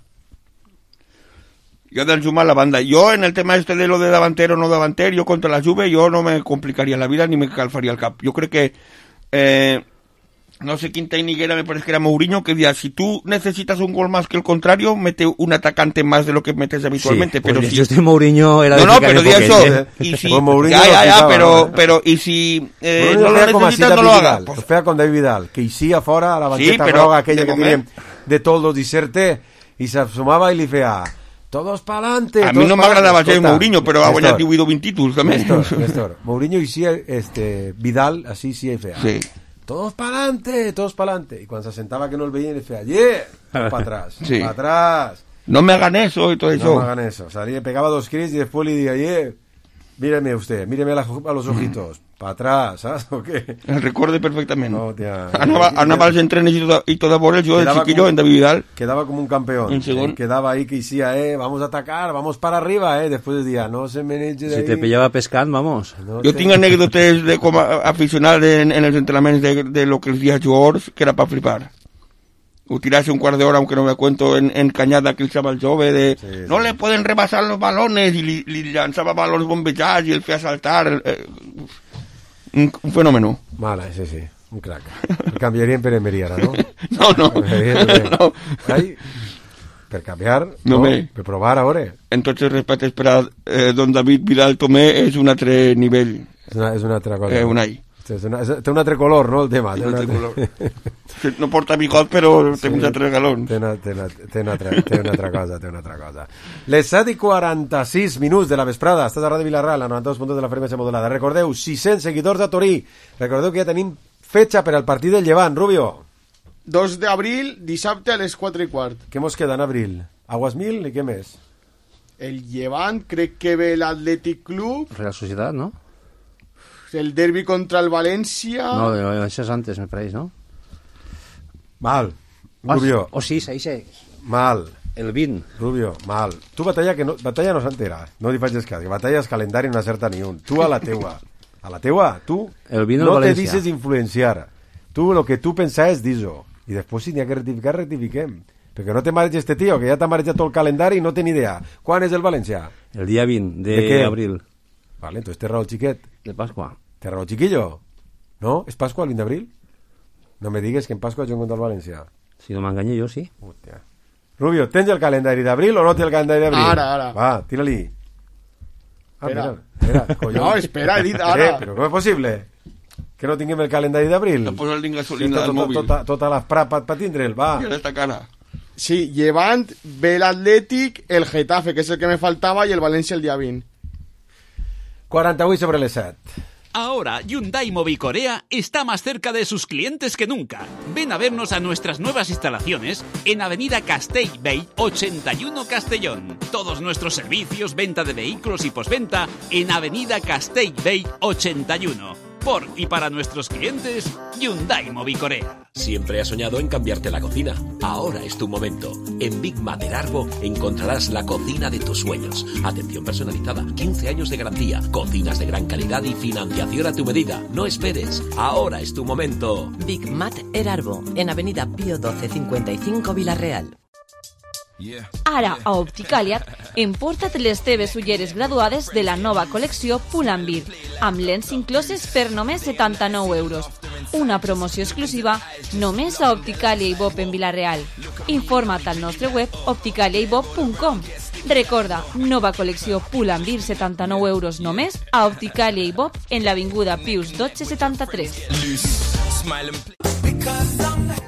Yo del Juma a la banda. Yo en el tema este de lo de davantero o no davantero, yo contra la Juve, yo no me complicaría la vida ni me calfaría el cap. Yo creo que no sé quién técnico era, me parece que era Mourinho, que decía, si tú necesitas un gol más que el contrario, mete un atacante más de lo que metes habitualmente. Sí, pero pues si... yo estoy Mourinho era No, pero di eso. Y si... pero y si no lo necesitas, no lo hagas. Pues fea con David Vidal, que hicía fora a la banqueta groga aquella que tenían de toldos diserte, y se asomaba y le feia... Todos pa'lante. A mí no me agradaba ser Mourinho, pero ha guanyat 20 títulos también. Néstor, Mourinho hicía Vidal, así sí fea. Sí. Todos pa'lante, todos pa'lante. Y cuando se sentaba que no el veían, le decía, yeah, para atrás, Sí. para atrás. No me hagan eso y todo eso. No me hagan eso. Salía, pegaba 2 crits y después le decía, yeah, míreme usted, míreme a los ojitos, para atrás, ¿sabes? ¿O qué? El recuerde perfectamente. No, tía. Anava als entrenes y toda por él, yo el chiquillo en David Vidal. Quedaba como un campeón. Quedaba ahí que decía, vamos a atacar, vamos para arriba, Después decía, no se me eche de ahí. Si te pillaba pescant, vamos. No Jo tinc anècdotes de com a aficionat en els entrenaments de lo que els dia jugadors, que era para flipar. O tirarse un quart d'hora, aunque no me cuento, en cañada que el chaval jove no le pueden rebasar los balones, y li llançava balones bombejats y el feia saltar. Un fenómeno. Mala, sí, un crack. El canviaria en Pere Meriara, ¿no? No. Ai, per canviar, no, per provar ahora. Entonces, respecte per don David Vidal Tomé, és un altre nivell. És una altra cosa. Un all. Té un altre color, no, el tema? Té un altre color. No porta bigot, però té uns altres galons. Té una altra cosa. Les 7:46 de la vesprada. Estàs a Ràdio Vilareal, a 92.2 de la freqüència modulada. Recordeu, 600 seguidors a Torí. Recordeu que ja tenim fetxa per al partit del Llevant, Rubio. 2 d'abril, dissabte a les 4:15. Què mos queda en abril? Aguas Mil i què més? El Llevant, crec que ve l'Atlètic Club. Real Sociedad, ¿no? El derbi contra el València. No, eso es antes, me parece, ¿no? Mal. Rubio. Sí. Mal. El 20. Rubio, mal. Tu batalla no s'entera. No li facis cas, que batalla és calendari no acerta ni un. Tu a la teua. Tu el 20 no el te dices influenciar. Tu lo que tu pensaves dis-ho. I després si n'hi ha que rectificar, rectifiquem. Perquè no te mareja este tío, que ja t'ha marejat tot el calendari i no té ni idea. Quan és el València? El dia 20 d'abril. Vale, entonces té raó el xiquet. De Pascua. ¿Te raó, chiquillo? ¿No? ¿Es Pascua el 20 de abril? No me digas que en Pascua yo contra el Valencia. Si no me engañé yo, sí. Hostia. Rubio, ¿tens el calendario de abril o no tens el calendario de abril? Ara. Va, tira-li. Espera. Mira, no, espera, he dit ara. Però com és possible? Que no tinguem el calendari d'abril? No posa el link gasolina del mòbil. Tota l'esprà per tindre'l, va. I esta cara. Sí, Llevant, ve l'Atlètic, el Getafe, que és el que me faltava, i el València el dia 20. 48 sobre les 7. Ahora, Hyundai Mobicorea está más cerca de sus clientes que nunca. Ven a vernos a nuestras nuevas instalaciones en Avenida Castellbell 81 Castellón. Todos nuestros servicios, venta de vehículos y postventa en Avenida Castellbell 81. Por y para nuestros clientes, Hyundai Mobicorea. Siempre has soñado en cambiarte la cocina. Ahora es tu momento. En Big Mater Arbo encontrarás la cocina de tus sueños. Atención personalizada, 15 años de garantía, cocinas de gran calidad y financiación a tu medida. No esperes. Ahora es tu momento. Big Mater Arbo, en Avenida Pío 12 55 Vila-real. Ara, a Opticàlia, emporta't les teves ulleres graduades de la nova col·lecció Pull&Bear, amb lents incloses per només 79 euros. Una promoció exclusiva només a Opticàlia i Bob en Vila-real. Informa't al nostre web opticaliaibob.com. Recorda, nova col·lecció Pull&Bear, 79 euros només a Opticàlia i Bob en l'avinguda Pius 1273.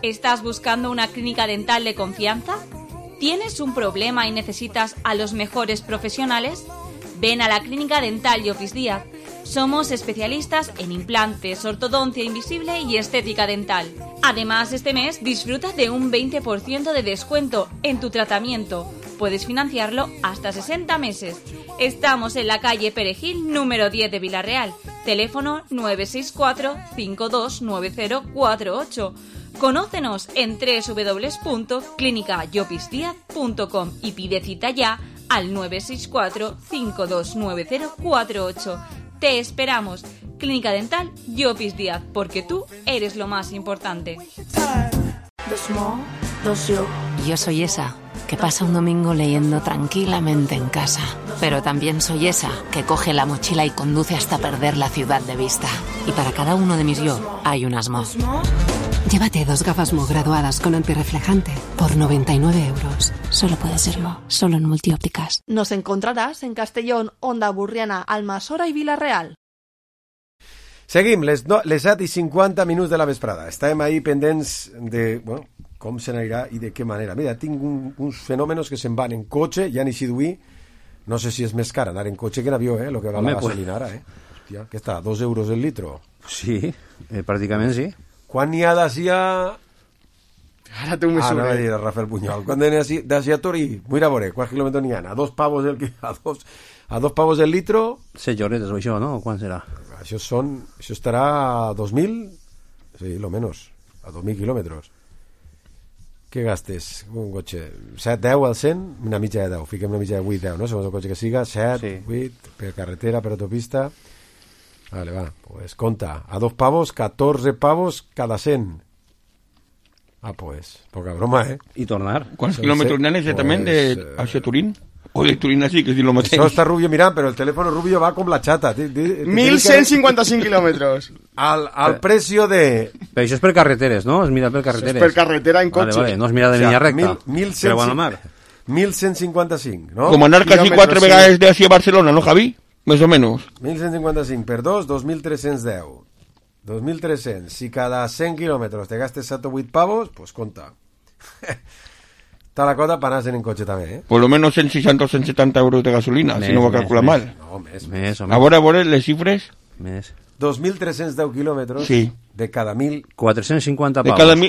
¿Estás buscando una clínica dental de confianza? ¿Tienes un problema y necesitas a los mejores profesionales? Ven a la Clínica Dental Llopis Díaz. Somos especialistas en implantes, ortodoncia invisible y estética dental. Además, este mes disfruta de un 20% de descuento en tu tratamiento. Puedes financiarlo hasta 60 meses. Estamos en la calle Perejil, número 10 de Vila-real. Teléfono 964 529048. Conócenos en www.clinicayopisdiaz.com y pide cita ya al 964 529048. Te esperamos. Clínica Dental Llopis Díaz, porque tú eres lo más importante. The small Yo soy esa que pasa un domingo leyendo tranquilamente en casa. Pero también soy esa que coge la mochila y conduce hasta perder la ciudad de vista. Y para cada uno de mis yo hay un Asmo. Llévate 2 gafas Mo graduadas con antirreflejante por 99 euros. Solo puede ser Mo, solo en Multiópticas. Nos encontraràs en Castellón, Onda Burriana, Almassora i Vila-real. Seguim, les 7:50 de la vesprada. Estàvem ahí pendents de, bueno, com se n'anirà i de què manera. Mira, tinc uns fenòmenos que se'n van en cotxe, ja ni si duir, no sé si és més car anar en cotxe que en avió, lo que va la gasolina ara, Hòstia, què està, 2 euros el litro? Sí, pràcticament sí. Quan n'hi ha d'asia... Ara té un mesura. Anava a dir a Rafael Punyol. Quan n'hi ha d'asia a Torí, mira a veure, quants quilòmetres n'hi ha? A 2 pavos el litro... 6 lloretes o això, no? Quan serà? Això estarà a 2.000, sí, lo menos, a 2.000 quilòmetres. Què gastes un cotxe? 7, 10 al 100? Una mitja de 10, fiquem una mitja de 8, 10, no? Segons el cotxe que siga, 7, sí. 8, per carretera, per autopista... Vale, va, pues conta, a 2 pavos, 14 pavos cada 100. Ah, pues, poca broma, I tornar. ¿Cuántos kilómetros n'hi ha exactament hacia Turín? O de Turín así, que es lo mateix. Això està Rubio mirant, però el teléfono Rubio va com la xata. 1.155 kilómetros. Al precio de... Però això és per carreteres, no? Es mira per carreteres. És per carretera en cotxe. Vale, no es mira de línia recta. Però bueno, mar. 1.155, no? Com anar quasi 4 vegades de hacia Barcelona, ¿no, Javi? Més o menos. 1.155 per 2, 2.310. 2.300. Si cada 100 kilómetros te gastes 7 o 8 pavos, pues conta. Está la cosa para anar en cotxe també, Por lo menos 160 o 170 euros de gasolina, si no va a calcular mal. No, més. A veure, les xifres. Més. 2.310 kilómetros sí. De cada 1.000... 450 pavos.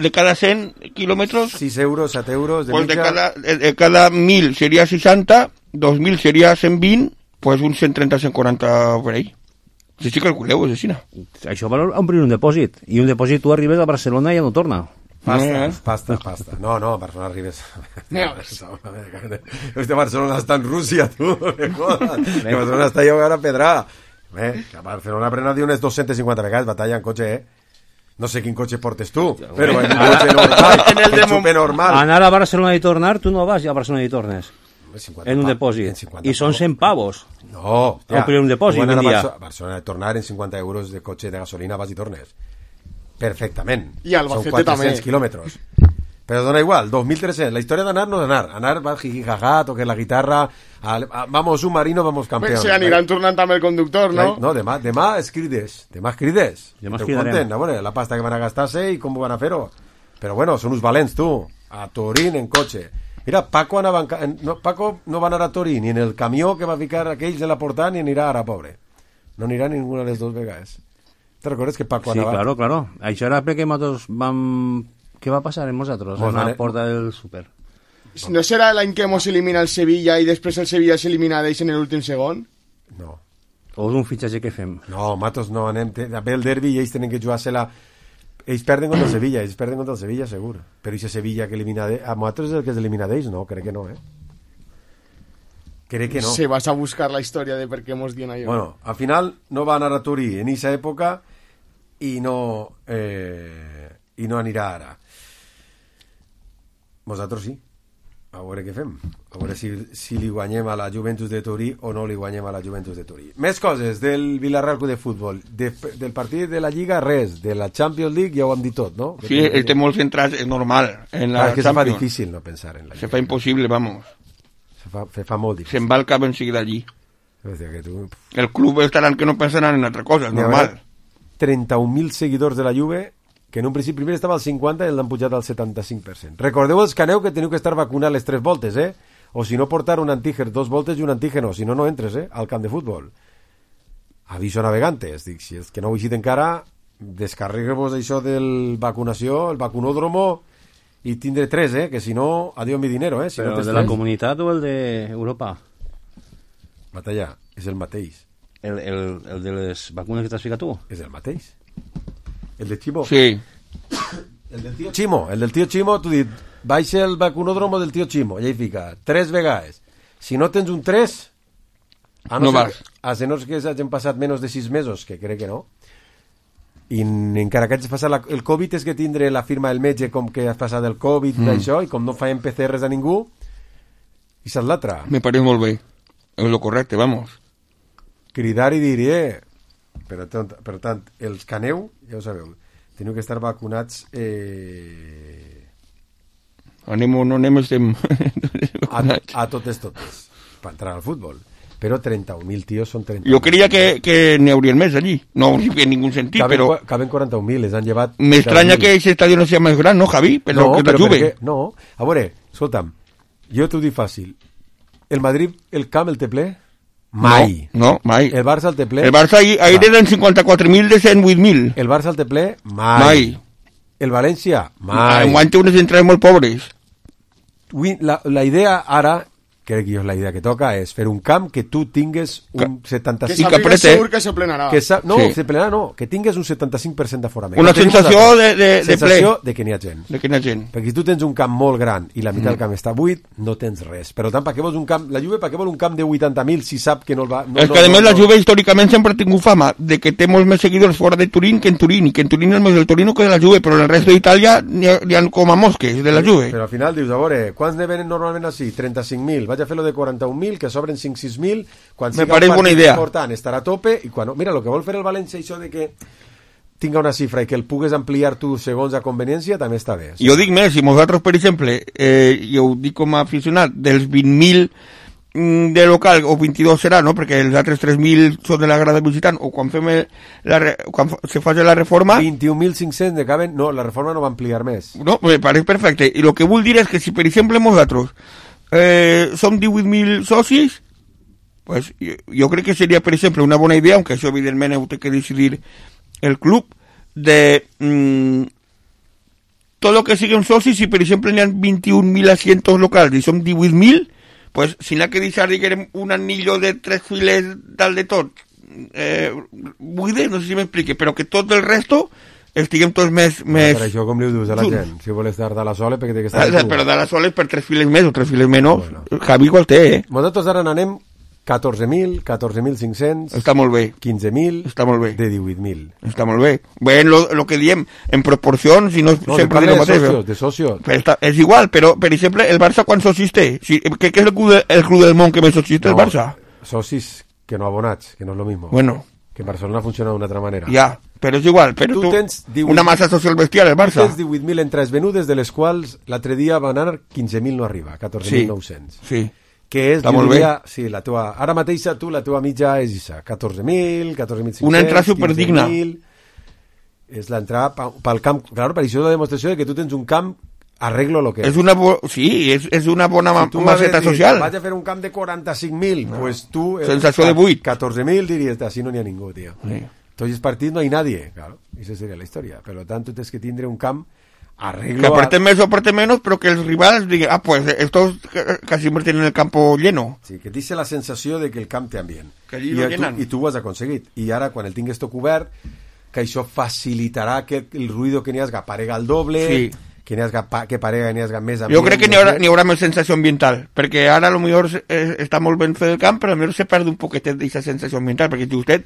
De cada 100 kilómetros... 6 euros, 7 euros... Pues de cada 1.000 sería 60, 2.000 sería 120, pues un 130, 140 por ahí. Si sí calculeu, Cecina. Això val omplir un depòsit. I un depòsit tu arribes a Barcelona i ja no torna. Pasta. No, a Barcelona arribes... Hòstia, Barcelona està en Rússia, tu. Que Barcelona està allà a pedrar. A Barcelona prena unes 250 vegades batalla en cotxe, No sé quin cotxe portes tu, però en un cotxe normal, en súper normal. Anar a Barcelona i tornar, tu no vas a Barcelona i tornes. En un depòsit. I són 100 pavos. No, omplir un depòsit un dia. Barcelona de tornar en 50 euros de cotxe de gasolina vas i tornes. Perfectament. I Albacete també. Són 400 quilòmetres. Però dona igual, 2.300. La història d'anar no d'anar. Anar va jijijaja, toques la guitarra, vamos submarino, vamos campeón. Se aniran tornant també el conductor, no? No, demà es crides. Demà cridarem. A veure, la pasta que van a gastar-se i com van a fer-ho. Però bueno, són uns valents, tu. A Torín en cotxe. Mira, Paco no va anar a Torín ni en el camió que va ficar aquells en la portada ni anirà ara, pobre. No anirà ninguna de les dues vegades. Te recordes que Paco anava... Sí, claro. Això era perquè nosaltres vam... Què va passar amb nosaltres en la porta del súper? ¿No serà l'any que hemos elimina el Sevilla i després el Sevilla s'elimina d'ells en l'últim segon? No. O és un fitxatge que fem? No, nosaltres no anem... Ve el derbi i ells tenen que jugar-se-la... Ells perden contra el Sevilla, segur. Però aquest Sevilla que elimina... A nosaltres és el que s'elimina d'ells? No, crec que no, Crec que no. Se vas a buscar la història de per què mos dien allò. Bueno, al final no va anar a Torí en aquesta època i no anirà ara. Nosaltres sí. A veure què fem. A veure si li guanyem a la Juventus de Torí o no li guanyem a la Juventus de Torí. Més coses del Villarreal Club de Futbol. Del partit de la Lliga, res. De la Champions League ja ho hem dit tot, no? Sí, el té molt centrat, és normal. En la que se fa difícil no pensar en la Lliga. Se fa impossible, vamos. Se fa molt difícil. Se'n va el cap enseguida allí. Hòstia, que tu... El club estaran que no pensaran en altra cosa, és normal. 31.000 seguidors de la Juve que en un principi primer estava al 50 i l'han pujat al 75%. Recordeu els que aneu que teniu que estar vacunat les 3 voltes, O si no portar un antígen 2 voltes i un antígeno, si no, no entres, al camp de futbol. Aviso navegantes, dic, si és que no ho he vist encara, descarregueu-vos això del vacunació, el vacunòdromo, i tindré 3, que si no, adiós mi dinero, Si Però no el de la comunitat o el d'Europa? Batalla, és el mateix. El de les vacunes que t'has ficat tu? És el mateix. El de Chimo. Sí. El del tío Chimo. El del tío Chimo, tu dit, baixa el vacunòdromo del tío Chimo. I ahí fica, 3 vegades. Si no tens un 3, no vas. A no ser que s'hagin passat menys de 6 mesos, que crec que no, i encara que hagis passat el Covid és que tindre la firma del metge com que has passat el Covid d'això, i com no faem PCRs a ningú, i saps l'altra. Me pareix molt bé, és lo correcte, vamos. Cridar i dir, per tant, els que aneu, ja ho sabeu, teniu que estar vacunats anem o no anem, estem a totes per entrar al futbol. Però 31.000 tios són 30.000. Jo creia que n'hi haurien més allí. No en ningún sentit, però... Caben 40.000, les han llevat... M'estranya que aquest estadio no sigui més gran, no, Javi? Però que la Juve. No, a veure, escolta'm, jo t'ho dic fàcil. El Madrid, el camp el té ple? Mai. No, mai. El Barça el té ple? El Barça ahir eren 54.000 de 108.000. El Barça el té ple? Mai. El València? Mai. Enguany té unes entrades molt pobres. La idea ara, crec que és la idea que toca, és fer un camp que tu tingues un 75... Que sàpigues segur que se plenarà. No, se plenarà no, que tingues un 75% d'aforament. Una sensació de ple. Sensació de que n'hi ha gent. De que n'hi ha gent. Perquè si tu tens un camp molt gran i la meitat del camp està buit, no tens res. Per tant, per què vols un camp... La Juve, per què vol un camp de 80.000 si sap que no el va... És que, a més, la Juve històricament sempre ha tingut fama de que té molts més seguidors fora de Turín que en Turín, i que en Turín és més del Torino que de la Juve, però en el resto d'Itàlia n'hi ha com a mosques de la Juve. Però al final dius, a veure, quants ne venen normalment així? 35.000. Vaig a fer-lo de 41.000, que sobren 5-6.000. Quan me pareix bona idea. Important, estarà a tope, i quan... Mira, el que vol fer el València, això de que tinga una xifra i que el pugues ampliar tu segons a conveniència, també està bé. Jo dic més, si nosaltres, per exemple, jo ho dic com a aficionat, dels 20.000 de local, o 22 serà, no? Perquè els altres 3.000 són de la grada visitant, o quan fem quan se faci la reforma... 21.500 de caben... No, la reforma no va ampliar més. No, me pareix perfecte. I el que vull dir és que si, per exemple, nosaltres som 18.000 socis, pues jo crec que seria, per exemple, una bona idea, aunque això evidentment ho té que decidir el club, de tot el que siguin socis, si per exemple n'hi ha 21.000 asientos locals i som 18.000, pues si n'ha que deixar, diguem, un anillo de 3 files dalt de tot, buide, no sé si m'explique, però que tot el resto estiguem tots més... Per això com li ho dius a la gent? Si vols estar de la Sole, perquè té que estar... Però de la Sole per 3 files més o 3 files menys, bueno. Javi igual té, Nosaltres ara n'anem 14.000, 14.500... Està molt bé. 15.000... Està molt bé. De 18.000. Està molt bé. Bé, lo que diem, en proporcions, i no sempre de socios, de socios. És igual, però, per exemple, el Barça quan socis té? Què és el club del món que més socis té el Barça? Socis que no abonats, que no és lo mismo. Bueno. Que en Barcelona funciona d'una altra manera. Ja, però és igual, però tu tens 18, una massa social bestial, el Barça. Tu tens 18.000 entrades venudes, de les quals l'altre dia van anar 15.000 no arriba, 14.900. Sí. Que és, jo diria, sí, la teva, ara mateixa tu, la teva mitja és això, 14.000, 14.500... Una entrada superdigna. És l'entrada pel camp, clar, per això és la demostració de que tu tens un camp arreglo lo que és. És una bona maceta social. Vaig a fer un camp de 45.000, pues tu... Sensació de buit. 14.000 diries, així no n'hi ha ningú, tío. Sí. Tots els partits no hi ha nadie, claro, esa seria la història. Per tant, tu tens que tindre un camp arreglo... Que aparte més o aparte menos, pero que els rivals diguen, pues estos casi siempre tienen el campo lleno. Sí, que dice la sensació de que el camp té ambient. Que allí lo llenan. I tu ho has aconseguit. I ara, quan el tingues tot cobert, que això facilitarà que el ruido que n'hi hagi aparega al doble... Sí. Que parega n'hi hagi més ambient. Jo crec que n'hi haurà més sensació ambiental, perquè ara a lo millor està molt ben fet el camp, però a lo millor se perd un poquet d'aquesta sensació ambiental, perquè si vostè,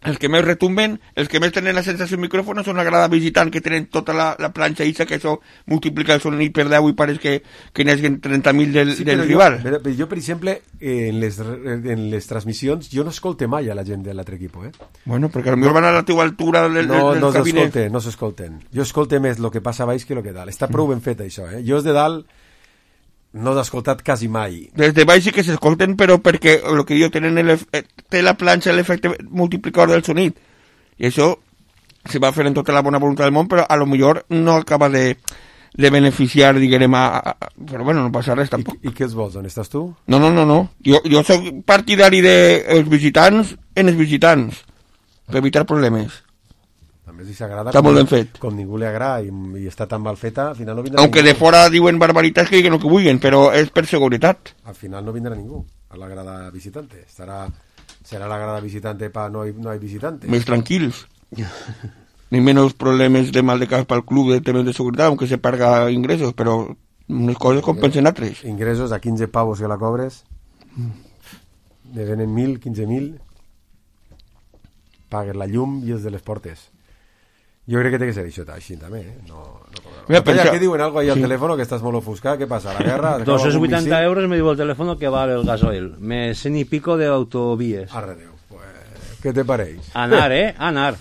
els que més retumben, els que més tenen la sensació del micròfon són la grada visitant, que tenen tota la planxa isa, que això multiplica el sonit per 10 i pareix que n'hi hagi 30.000 del rival. Jo, per exemple, en les transmissions, jo no escolte mai a la gent de l'altre equip, Bueno, perquè potser van a la teva altura del cabinet. No s'escolten. Jo escolte més el que passa a baix que el que dalt. Està prou ben fet, això, Jo és de dalt no l'he escoltat quasi mai. Des de baix sí que s'escolten, però perquè el que jo té la planxa l'efecte multiplicador del sonit. I això se va fer en tota la bona voluntat del món, però a lo millor no acaba de beneficiar, diguem, però bueno, no passa res tampoc. I què els vols? On estàs tu? No. Jo soc partidari dels visitants en els visitants, per evitar problemes. També si s'agrada, està molt ben fet. Com ningú li agrada i està tan mal feta, al final no vindrà Aunque ningú. De fora diuen barbaritats que diguen el que vulguin, però és per seguretat. Al final no vindrà ningú a la grada visitante. Serà la grada visitante para no hay visitantes. Més tranquils. Ni menos problemes de mal de cas pel club de temes de seguretat, aunque se paga ingressos, però unes coses compensen altres. Ingressos a 15 pavos que la cobres, ne venen 1.000, 15.000, pagues la llum i els de les portes. Jo crec que té que ser això així també, no Mira, que diuen algo ahí al teléfono que estàs molt ofuscat, què passa? La guerra... 280 euros me diu el teléfono que vale el gasoil, me 100 y pico de autovías. Arredeu, pues, què te pareix? Anar, anar.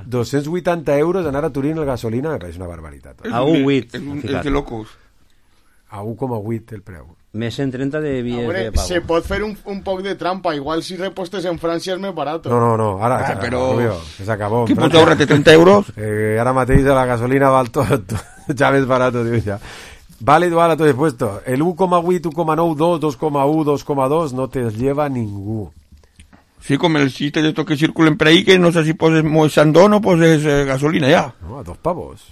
280 euros anar a Turín el gasolina me pareix una barbaritat. A 1,8. És de locos. A 1,8 el preu. Més 130 de vies de pago. Se pot fer un poc de trampa. Igual si repostes en Francia és més barat. No, ara però... s'acabó. Qui pot ahorrar-te 30 euros? Ara mateix la gasolina val tot ja més barat, diu ja. Vale igual a tot puesto. El 1,8, 1,9, 2, 2,1, 2,2 no te lleva ningú. Sí, com els xistes de que circulen per ahí, que no sé si poses moixandón o poses gasolina ja. No, a 2 pavos.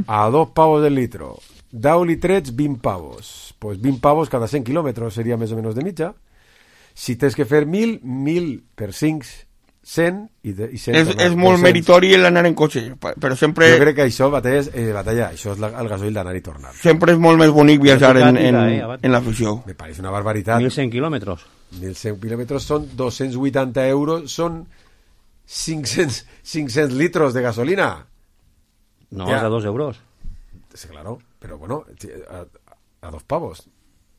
A 2 pavos el litro. 10 litrets, 20 pavos. Pues 20 pavos cada 100 kilòmetres seria més o menys de mitja. Si tens que fer 1.000 per 5, 100 i 100. És molt meritori l'anar en cotxe, però sempre... Jo crec que això, batalla, això és el gasoil d'anar i tornar. Sempre és molt més bonic viatjar en l'afició. Me pareix una barbaritat. 1.100 quilòmetres. 1.100 quilòmetres són 280 euros, són 500 litros de gasolina. No, és a 2 euros. Sí, claro, pero bueno, a 2 pavos,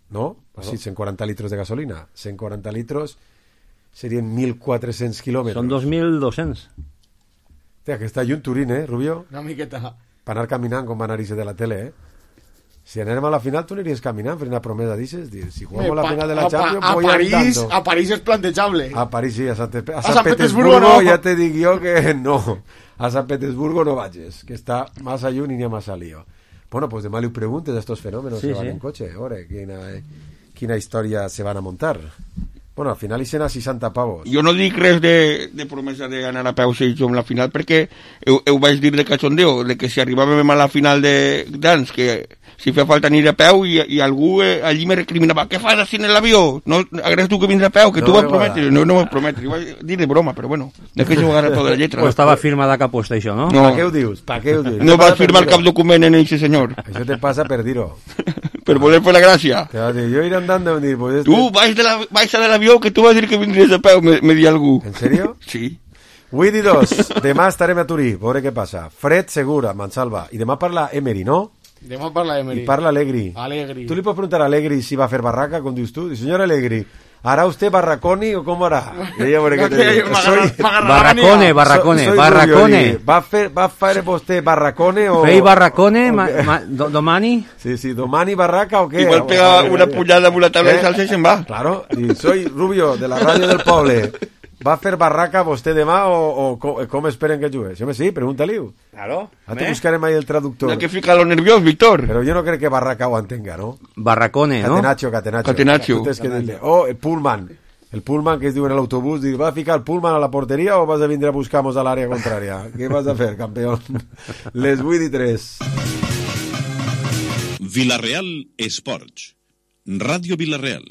¿no? Así, 140 litros de gasolina. 140 litros serien 1.400 kilòmetres. Són 2.200. Hòstia, que està lluny Turín, Rubio? Una miqueta. Per anar caminant, com va anar-hi de la tele, Si anem a la final, tu aniries caminant, fer una promesa, dices, si jugamos la final de la Champions, voy andando. A París és plantejable. A París sí, a Sant Petersburgo no. Ja te dic jo que no. A Sant Petersburgo no vagis, que està massa lluny i n'hi ha massa lío. Bueno, pues demà li preguntes a estos fenómenos que van en coche. Ahora, quina història se van a montar. Bueno, al final hi sent a 60 pavos. Jo no dic res de promesa d'anar a peu si som la final, perquè ho vaig dir de cachondeo, de que si arribàvem a la final d'ans, que si feia falta anar a peu i algú allí me recriminava, què fas així en l'avió? No, agrés tu que vindràs a peu, que tu vas prometre. No vas prometre, vaig dir de broma, però bueno, és que això ho agarra tota la lletra. Pues estava firmada cap puesta això, no? Pa què ho dius? No vas firmar cap document en ese senyor. Això te passa per dir-ho. Per voler fer la gràcia. Jo iré andando y dir, pues tu vais a l'avió que tu vas dir que vindries a peu, me di algú. ¿En serio? Sí. 8 i 2, demà estarem a Turí, veure què passa. Fred segura, Mansalva. I demà parla Emery, no? Demà parla Emery. I parla Allegri. Allegri. Tu li pots preguntar a Allegri si va a fer barraca, com dius tu? Señor Allegri, ¿hará usted barraconi o cómo hará? Barracone. Va a fer vostè barracone o... Fei barracone, domani? Sí, domani barraca o què? Igual pega una punyada amb una taula de salsa i se'n va. Claro, y soy Rubio, de la ràdio del poble. Va a fer barraca vostè demà o com esperen que jugues? Sí, pregunta-li-ho. Claro. Ara te buscarem ahí el traductor. Hay que ficar lo nerviós, Víctor. Pero yo no creo que barraca ho entenga, ¿no? Barracone, ¿no? Catenaccio. Tú tens que dir-li. O el pullman. El pullman que es diu en l'autobús, diu, ¿vas a ficar el pullman a la porteria o vas a vindre a buscar-nos a l'àrea contrària? Què vas a fer, campeón? Les 8 i 3. Villarreal Esports. Ràdio Villarreal.